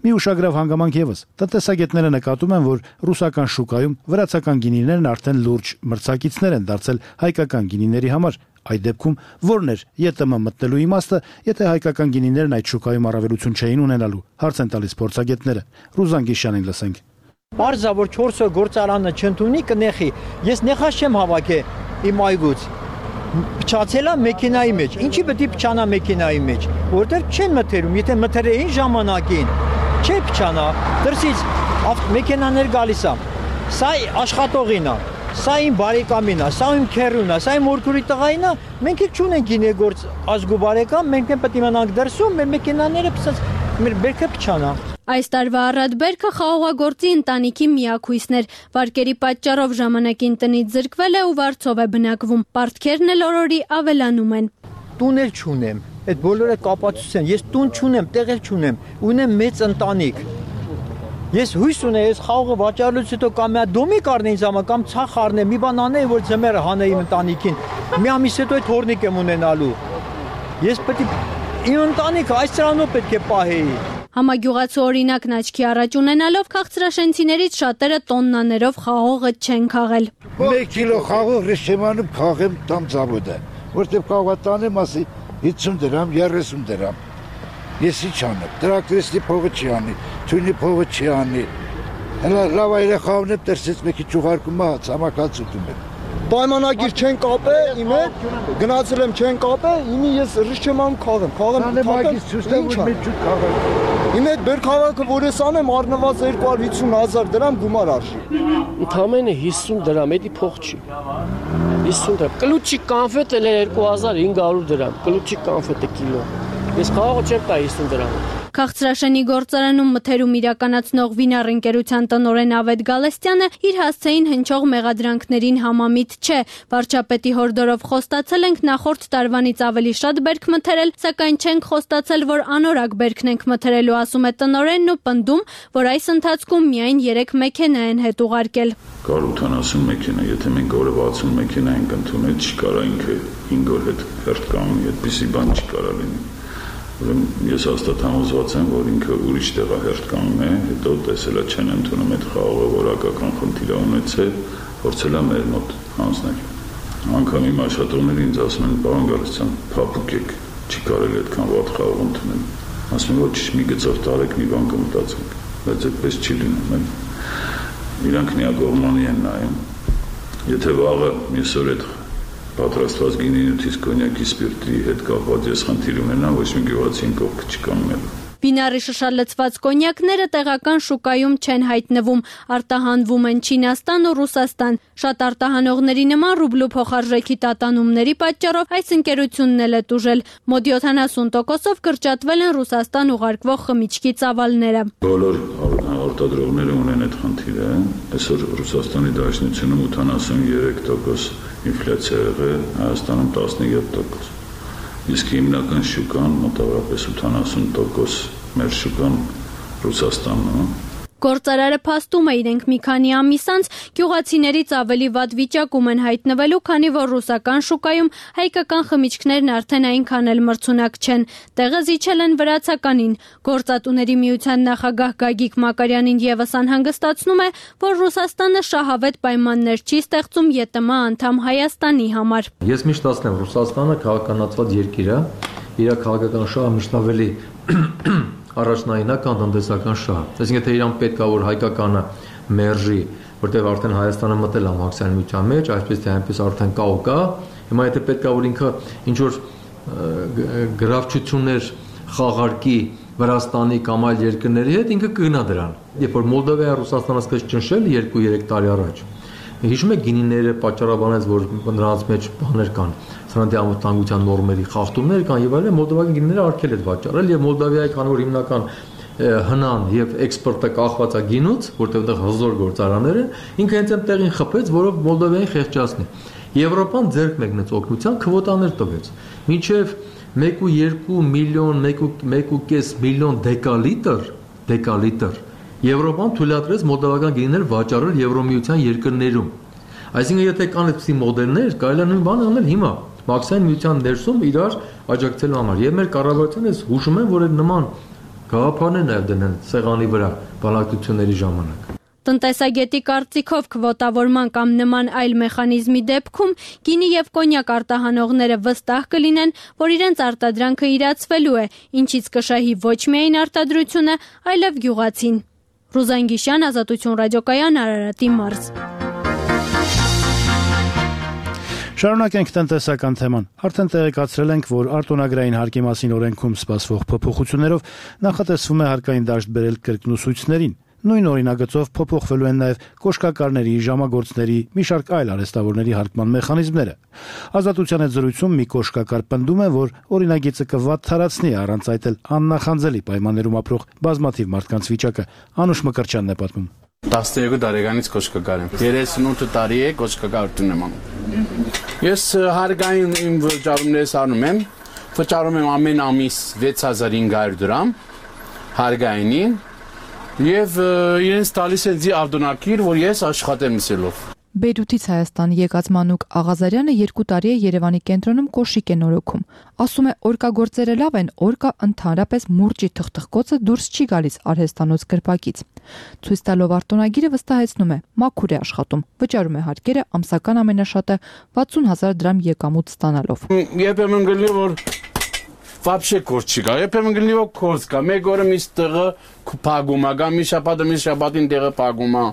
Մի ուշագրավ հանգամանք եւս։ Տնտեսագետները նկատում են, որ ռուսական շուկայում վրացական գինիներն արդեն լուրջ մրցակիցներ են դարձել հայկական գինիների համար։ Այդ դեպքում ո՞րն էր ԵՏՄ մտնելու իմաստը, եթե հայկական գինիներն այդ շուկայում առավելություն չէին ունենալու։ Հարց են տալիս փորձագետները։ Ռուզան Գիշյանին լսենք։ Բարձա որ 4 գործարանը չընդունի կնեխի։ Ես նեխաշ չեմ հավաքե իմ այգուց։ Փչացելա մեքենայի մեջ։ Ինչի պետք է փչանա մեքենայի մեջ, որտեղ չեն մթերում, եթե մթերեին ժամանակին, չէ փչանա, դրսից մեքենաներ գալիս է։ Սա աշխատողին է, սա իմ բարեկամին է, սա իմ քերուն է, սա իմ մորքուրի տղային է, մենք էլ չունենք գինեգործ ազգու բարեկամ, մենք էլ պետք է մնանք դրսում, մեր մեքենաները մեր բերքը փչանա։ Այս տարվա առատ բերքը խաղողագործի ընտանիքի միակույսն էր։ Վարկերի պատճառով ժամանակին տնից զրկվել է ու վարձով է բնակվում։ Պարտքերն էլ օրորի ավելանում են։ Տուն էլ չունեմ, այդ բոլորը կապացուցեն։ Ես տուն չունեմ, տեղ էլ չունեմ, ունեմ մեծ ընտանիք։ Ես հույս ունեմ, ես խաղողը վաճառելուց հետո կամ մի դոմիկ առնեի ինձ համար, կամ ցախ առնեի, մի բան անեի, որ ձմեռը հանեի իմ ընտանիքին։ Մի ամիս հետո այդ հորնիկ եմ ունենալու։ Ես պետք է իմ ընտանիքը այս ծրանով պետք է պահեի։ Համագյուղացու օրինակն աչքի առաջ ունենալով քաղցրաշենցիներից շատերը տոննաներով խաղողը չեն քաղել։ 1 կիլո խաղող ռեշեմանում քաղեմ տամ ծավոդը, որտեղ կաղվատանեմ ասի 50 դրամ, 30 դրամ։ Ես ինչ անեմ, տրակտորիստի փողը չի անի, թույնի փողը չի անի։ Հələ լավ երեխաներն եմ դրսից մեկի ճուղարկում է, ցամաքած ուտում եմ։ Պայմանագիր չեն կապել, իմ հետ գնացել եմ չեն կապել, իմի ես ռիշչեման քաղեմ, իմ հետ բերքավակը, որ ես անեմ, առնված 250,000 դրամ գումար արժի։ Ընդամենը 50 դրամ, էդի փող չի։ 50 դրամ։ Կլուչի կանֆետը 2500 դրամ, կլուչի կանֆետը կիլո։ Ես խաղողը չեմ տա 50 դրամ։ Քաղցրաշենի գործարանում մթերում իրականացնող Վինար ընկերության տնօրեն Ավետ Գալստյանը իր հասցեին հնչող մեղադրանքներին համամիտ չէ։ Վարչապետի հորդորով խոստացել ենք նախորդ տարվանից ավելի շատ բերք մթերել, սակայն չենք խոստացել, որ անորակ բերքն ենք մթերելու, ասում է տնօրենն ու պնդում, որ այս ընթացքում միայն 3 մեքենա են հետ ուղարկել։ Կար 80 մեքենա, եթե մենք օրը 60 մեքենա ենք ընդունել, չկարա ինքը 5 օր հետ հերթ կանգնի, այդպիսի բան չկարա լինի։ Ես հաստատ համոզված եմ, որ ինքը ուրիշ տեղ հերթ կանգն է, հետո տեսելա չեն ընդունում այդ խաղողը, որակական խնդիր ունեցել, փորձել է մեր մոտ հանձնել։ Անգամ իմ աշխատողները ինձ ասում են, պարոն Գալստյան, փափուկ եք, չի կարելի այդքան վատ խաղող ընդունել։ Ասում են, ոչ մի գծով տարեք, մի բան կմտածենք, բայց այդպես չի լինում։ Իրանք միակողմանի են նայում։ Եթե վաղը մյուսօր այդ պատրաստված գինինյութից կոնյակի սպիրտի հետ կապված ես խնդիր ունենամ, ոչ մի գյուղացին կողքը չկանգնելու։ Վինարի շշալցված կոնյակները տեղական շուկայում չեն հայտնվում, արտահանվում են Չինաստան ու Ռուսաստան։ Շատ արտահանողների նման ռուբլու փոխարժեքի տատանումների պատճառով այս ընկերությունն էլ է տուժել։ Մոտ 70%-ով կրճատվել են Ռուսաստան ուղարկվող խմիչքի ծավալները։ Բոլոր արտադրողները ունեն այդ խնդիրը։ Այսօր Ռուսաստանի Դաշնությունում 83% ինֆլյացիա եղել, Հայաստանում 17%։ իսկ հիմնական շուկան մոտավորապես 80% մեր շուկան Ռուսաստանն է։ Գործարարը փաստում է իրենք մի քանի ամիս անց գյուղացիներից ավելի վատ վիճակում են հայտնվելու, քանի որ ռուսական շուկայում հայկական խմիչքներն արդեն այնքան էլ մրցունակ չեն։ Տեղը զիջել են վրացականին։ Գործատուների միության նախագահ Գագիկ Մակարյանին եւս անհանգստացնում է, որ Ռուսաստանը շահավետ պայմաններ չի ստեղծում ԵՏՄ անդամ Հայաստանի համար։ Ես միշտ ասում եմ, Ռուսաստանը քաղաքականացված երկիր է, իր քաղաքական շահը միշտ ավելի առաջնայինական տնտեսական շահ։ Այսինքն թե իրան պետք է որ հայկականը մերժի, որտեղ արդեն Հայաստանը մտել է մաքսային միության մեջ, այսպես թե այնպես արդեն կա ու կա։ Հիմա եթե պետք է որ ինքը ինչ որ գրավչություններ խաղարկի Վրաստանի կամ այլ երկրների հետ, ինքը կգնա դրան։ Երբ որ Մոլդովայա Ռուսաստանը սկսեց ճնշել 2-3 տարի առաջ, հիշում եք գինիները պատճառաբանեց, որ նրանց մեջ բաներ կան, սրանցի անվտանգության նորմերի խախտումներ կան եւ այլն, մոլդովական գինիները արգել է վաճառել եւ Մոլդովիայի քանի որ հիմնական հնան եւ էքսպորտը կախված է գինուց, որտեղ այդտեղ հզոր գործարաններ են, ինքը հենց այնտեղին խփեց, որով Մոլդովիային խեղճացնի։ Եվրոպան ձեռք մեկնեց օգնության քվոտաներ տվեց։ Մինչեւ 1.2 միլիոն, 1.5 միլիոն դեկալիտր Եվրոպան թույլատրեց մոլդովական գինիներ վաճառել Եվրոմիության երկրներում։ Այսինքն եթե կան այդպիսի մոդելներ, կարելի է նույն բանը անել հիմա, մաքսային միության ներսում իրար աջակցելու համար։ Եվ մեր կառավարությունը հուշում են, որ այդ նման գաղափարներ նաև դնեն սեղանի վրա բանակցությունների ժամանակ։ Տնտեսագետի կարծիքով քվոտավորման կամ նման այլ մեխանիզմի դեպքում գինի եւ կոնյակ արտահանողները վստահ կլինեն, որ իրենց արտադրանքը իրացվելու է, ինչից կշահի ոչ միայն արտադրությունը, այլև գյուղացին։ Ռուզան Գիշյան, Ազատություն ռադիոկայան, Արարատի մարզ։ Շարունակենք տնտեսական թեման։ Արդեն տեղեկացրել ենք, որ արտոնագրային հարկի մասին օրենքում սպասվող փոփոխություններով նախատեսվում է հարկային դաշտ բերել կրկնուսույցներին։ Նույն օրինագծով փոփոխվելու են նաև կոշկակարների, ժամագործների, մի շարք այլ արհեստավորների հարկման մեխանիզմները։ Ազատության հետ զրույցում մի կոշկակար պնդում է, որ օրինագիծը կվատթարացնի առանց այդ էլ աննախանձելի պայմաններում ապրող բազմաթիվ մարդկանց վիճակը։ Անուշ Մկրտչյանն է պատմում։ 12 տարեկանից կոշկակար եմ։ 38 տարի է կոշկակարություն եմ անում։ Ես հարկային իմ վճարումներս անում եմ։ Վճարում եմ ամեն ամիս 6500 դրամ հարկայինին։ Եվ իրենց տալիս են ձի արտոնակիր, որ ես աշխատեմ իսելով։ Բեյրութից Հայաստան եկած Մանուկ Աղազարյանը 2 տարի է Երևանի կենտրոնում կոշիկ է նորոգում։ Ասում է, օրկագործերը լավ են, օրկա ընդհանրապես մուրճի թխթխկոցը դուրս չի գալիս արհեստանոց գրպակից։ Ցույց տալով արտոնագիրը վստահեցնում է, մաքուր է աշխատում, վճարում է հարկերը ամսական ամենաշատը 60000 դրամ եկամուտ ստանալով։ Երբեմն գլի որ Вообще կորց չի գա, երբեմն գլի որ կորց կա, մեկ օրը մի տեղը փագում է, կամ մի շաբաթին տեղը փագում է,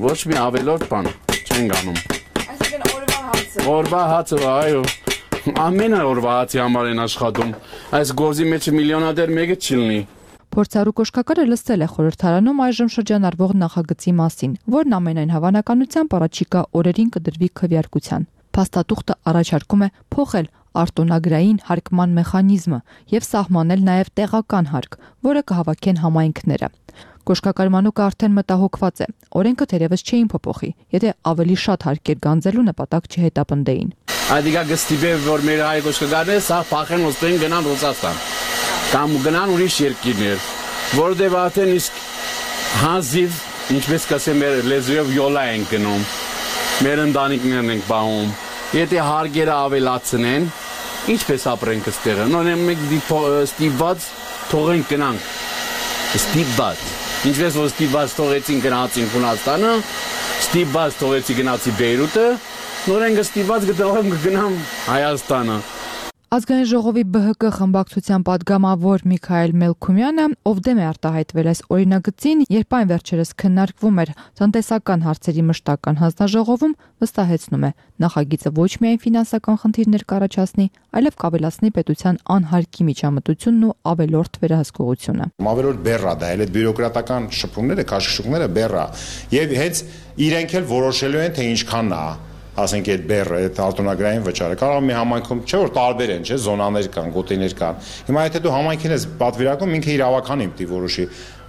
ոչ մի ավելորդ բան չեն գանում։ Այսինքն օրվա հացը։ Օրվա հացը, այո։ Ամեն օրվա հացի համար են աշխատում։ Այս գործի մեջ միլիոնադեր մեկը չի լինի։ Փորձառու կոշկակարը լսել է խորհրդարանում այժմ շրջանառվող նախագծի մասին, որն ամենայն հավանականությամբ առաջիկա օրերին կդրվի քվեարկության։ Փաստաթուղթը առաջարկում է փոխել արտոնագրային հարկման մեխանիզմը եւ սահմանել նաեւ տեղական հարկ, որը կհավաքեն համայնքները։ Կոշկակար Մանուկը արդեն մտահոգված է։ Օրենքը թերևս չէին փոփոխի, եթե ավելի շատ հարկեր գանձելու նպատակ չհետապնդեին։ Այդիկա գստիբե որ մեր հայ կոշկակարները սա փախեն ոստեն գնան Ռուսաստան կամ գնան ուրիշ երկիրներ, որովհետեւ արդեն իսկ հազիվ ինչպես կասեմ մեր լեզվով յոլա են գնում, մեր ընտանիքներն են պահում։ Եթե հարկերը ավելացնեն, ինչպես ապրենք այստեղ։ Նորեն մենք ստիպված թողենք գնանք։ Ստիպված։ Ինչպես որ ստիպված թողեցին գնացին Հունաստանը, ստիպված թողեցի գնացի Բեյրութը, նորեն ստիպված գնամ Հայաստանը։ Ազգային ժողովի ԲՀԿ խմբակցության падգամավոր Միքայել Մելքումյանը, ով դեմ է արտահայտվել այս օրինագծին, երբ այն վերջերս քննարկվում էր տնտեսական հարցերի մշտական հանձնաժողովում, վստահեցնում է, նախագիծը ոչ միայն ֆինանսական խնդիրներ կառաջացնի, այլև կավելացնի պետության անհարկի միջամտությունն ու ավելորդ վերահսկողությունը։ Ավելորդ բեռա դա, այլ այդ բյուրոկրատական շփումները, քաշքշուկները բեռա, եւ հենց իրենք էլ որոշելու են թե ինչքանն է ասենք այդ բեռը, այդ արտոնագրային վճարը, կարող է մի համայնքում չէ որ տարբեր են, չէ, զոնաներ կան, գոտիներ կան։ Հիմա եթե դու համայնքին ես պատվիրակում, ինքը իր ավականին պիտի որոշի,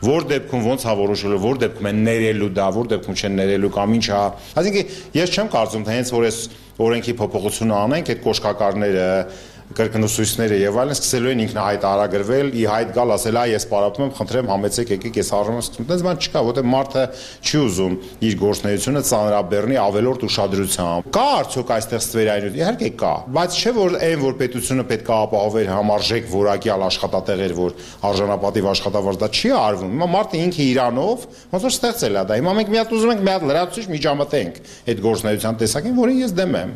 որ դեպքում ոնց է որոշելու, որ դեպքում են ներելու դա, որ դեպքում չեն ներելու կամ ինչ է։ Այսինքն ես չեմ կարծում, թե հենց որ այս օրենքի փոփոխությունը անենք, այդ կոշկակարները, կրկնուսույցները եւ այլն սկսելու են ինքնահայտ արագրվել, ի հայտ գալ, ասել, ես պարապում եմ, խնդրեմ, համեցեք, եկեք, ես առնում եմ, այդպես բան չկա, որտեղ մարդը չի ուզում իր գործունեությունը ծանրաբեռնի ավելորդ ուշադրությամբ։ Կա արդյոք այստեղ ստվերային, իհարկե կա, բայց չէ որ այն որ պետությունը պետք է ապահովեր համարժեք որակյալ աշխատատեղեր, որ արժանապատիվ աշխատավարձ դա չի արվում։ Հիմա մարդը ինքը իրանով ոնց որ ստեղծել է դա։ Հիմա մենք մի հատ ուզում ենք մի հատ լրացուցիչ միջամտենք այդ գործունեության տեսակին, որին ես դեմ եմ։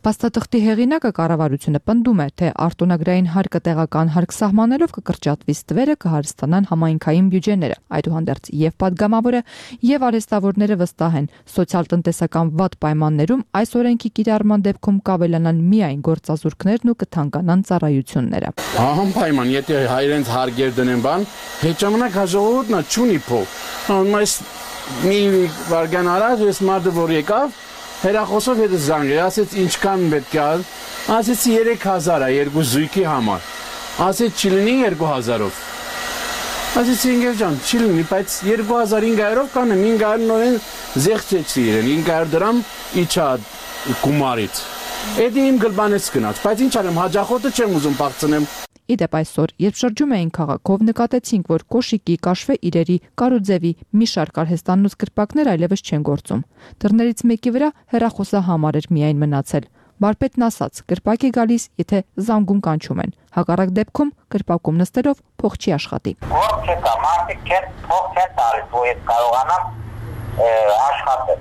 Փաստաթղթի հեղինակը կառավարությունը պնդում է, թե արտոնագրային հարկը տեղական հարկ սահմանելով կկրճատվի ստվերը, կհարստանան համայնքային բյուջեները։ Այդուհանդերձ եւ падգամավորը եւ արհեստավորները վստահ են, սոցիալ-տնտեսական վատ պայմաններում այս օրենքի կիրառման դեպքում կավելանան միայն գործազուրկներն ու կթանկանան ծառայությունները։ Անպայման, եթե հայրենց հարգեր դնեն բան, հետ ժամանակ հաջողորդն չունի փող։ Այս մի վարգան առաջ ես մարդը որ եկավ հերախոսով հետը զանգել, ասեց ինչքան պետք է, ասեցի 3000 է երկու զույգի համար, ասեց չի լինի 2000-ով, ասեցի ինգեր ջան, չի լինի, բայց 2500-ով կանեմ, 500 նորեն զեղցեցի իրեն, 500 դրամ իչա գումարից, էդի իմ գլբանեց գնաց, բայց ինչ արեմ, հաջախոտը չեմ ուզում պաղցնեմ։ Իդեպ այսօր, երբ շրջում էին քաղաքով, նկատեցինք, որ կոշիկի, կաշվե իրերի, կարուձևի մի շարք արհեստանոց կրպակներ այլևս չեն գործում։ Դռներից մեկի վրա հեռախոսահամար էր միայն մնացել։ Բարպետն ասաց, կրպակ է գալիս, եթե զանգում կանչում են։ Հակառակ դեպքում կրպակում նստելով փող չի աշխատի։ Ո՞ր չկա, մարդիկ չեն փող չեն տալիս, որ ես կարողանամ աշխատել։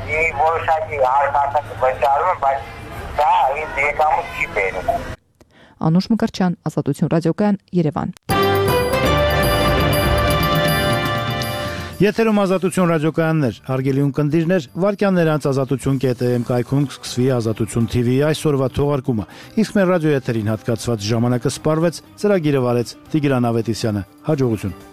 Մի որոշակի հարցը վճարում եմ, բայց դա ինձ եկամուտ չի բերում։ Անուշ Մկրտչյան, Ազատություն ռադիոկայան, Երևան։ Եթերում Ազատություն ռադիոկայաններ, հարգելի ունկնդիրներ, վարքյաններ անց ազատություն.am կայքում կսկսվի Ազատություն TV-ի այսօրվա թողարկումը։ Իսկ մեր ռադիո եթերին հատկացված ժամանակը սպառվեց, ծրագիրը վարեց Տիգրան Ավետիսյանը։ Հաջողություն։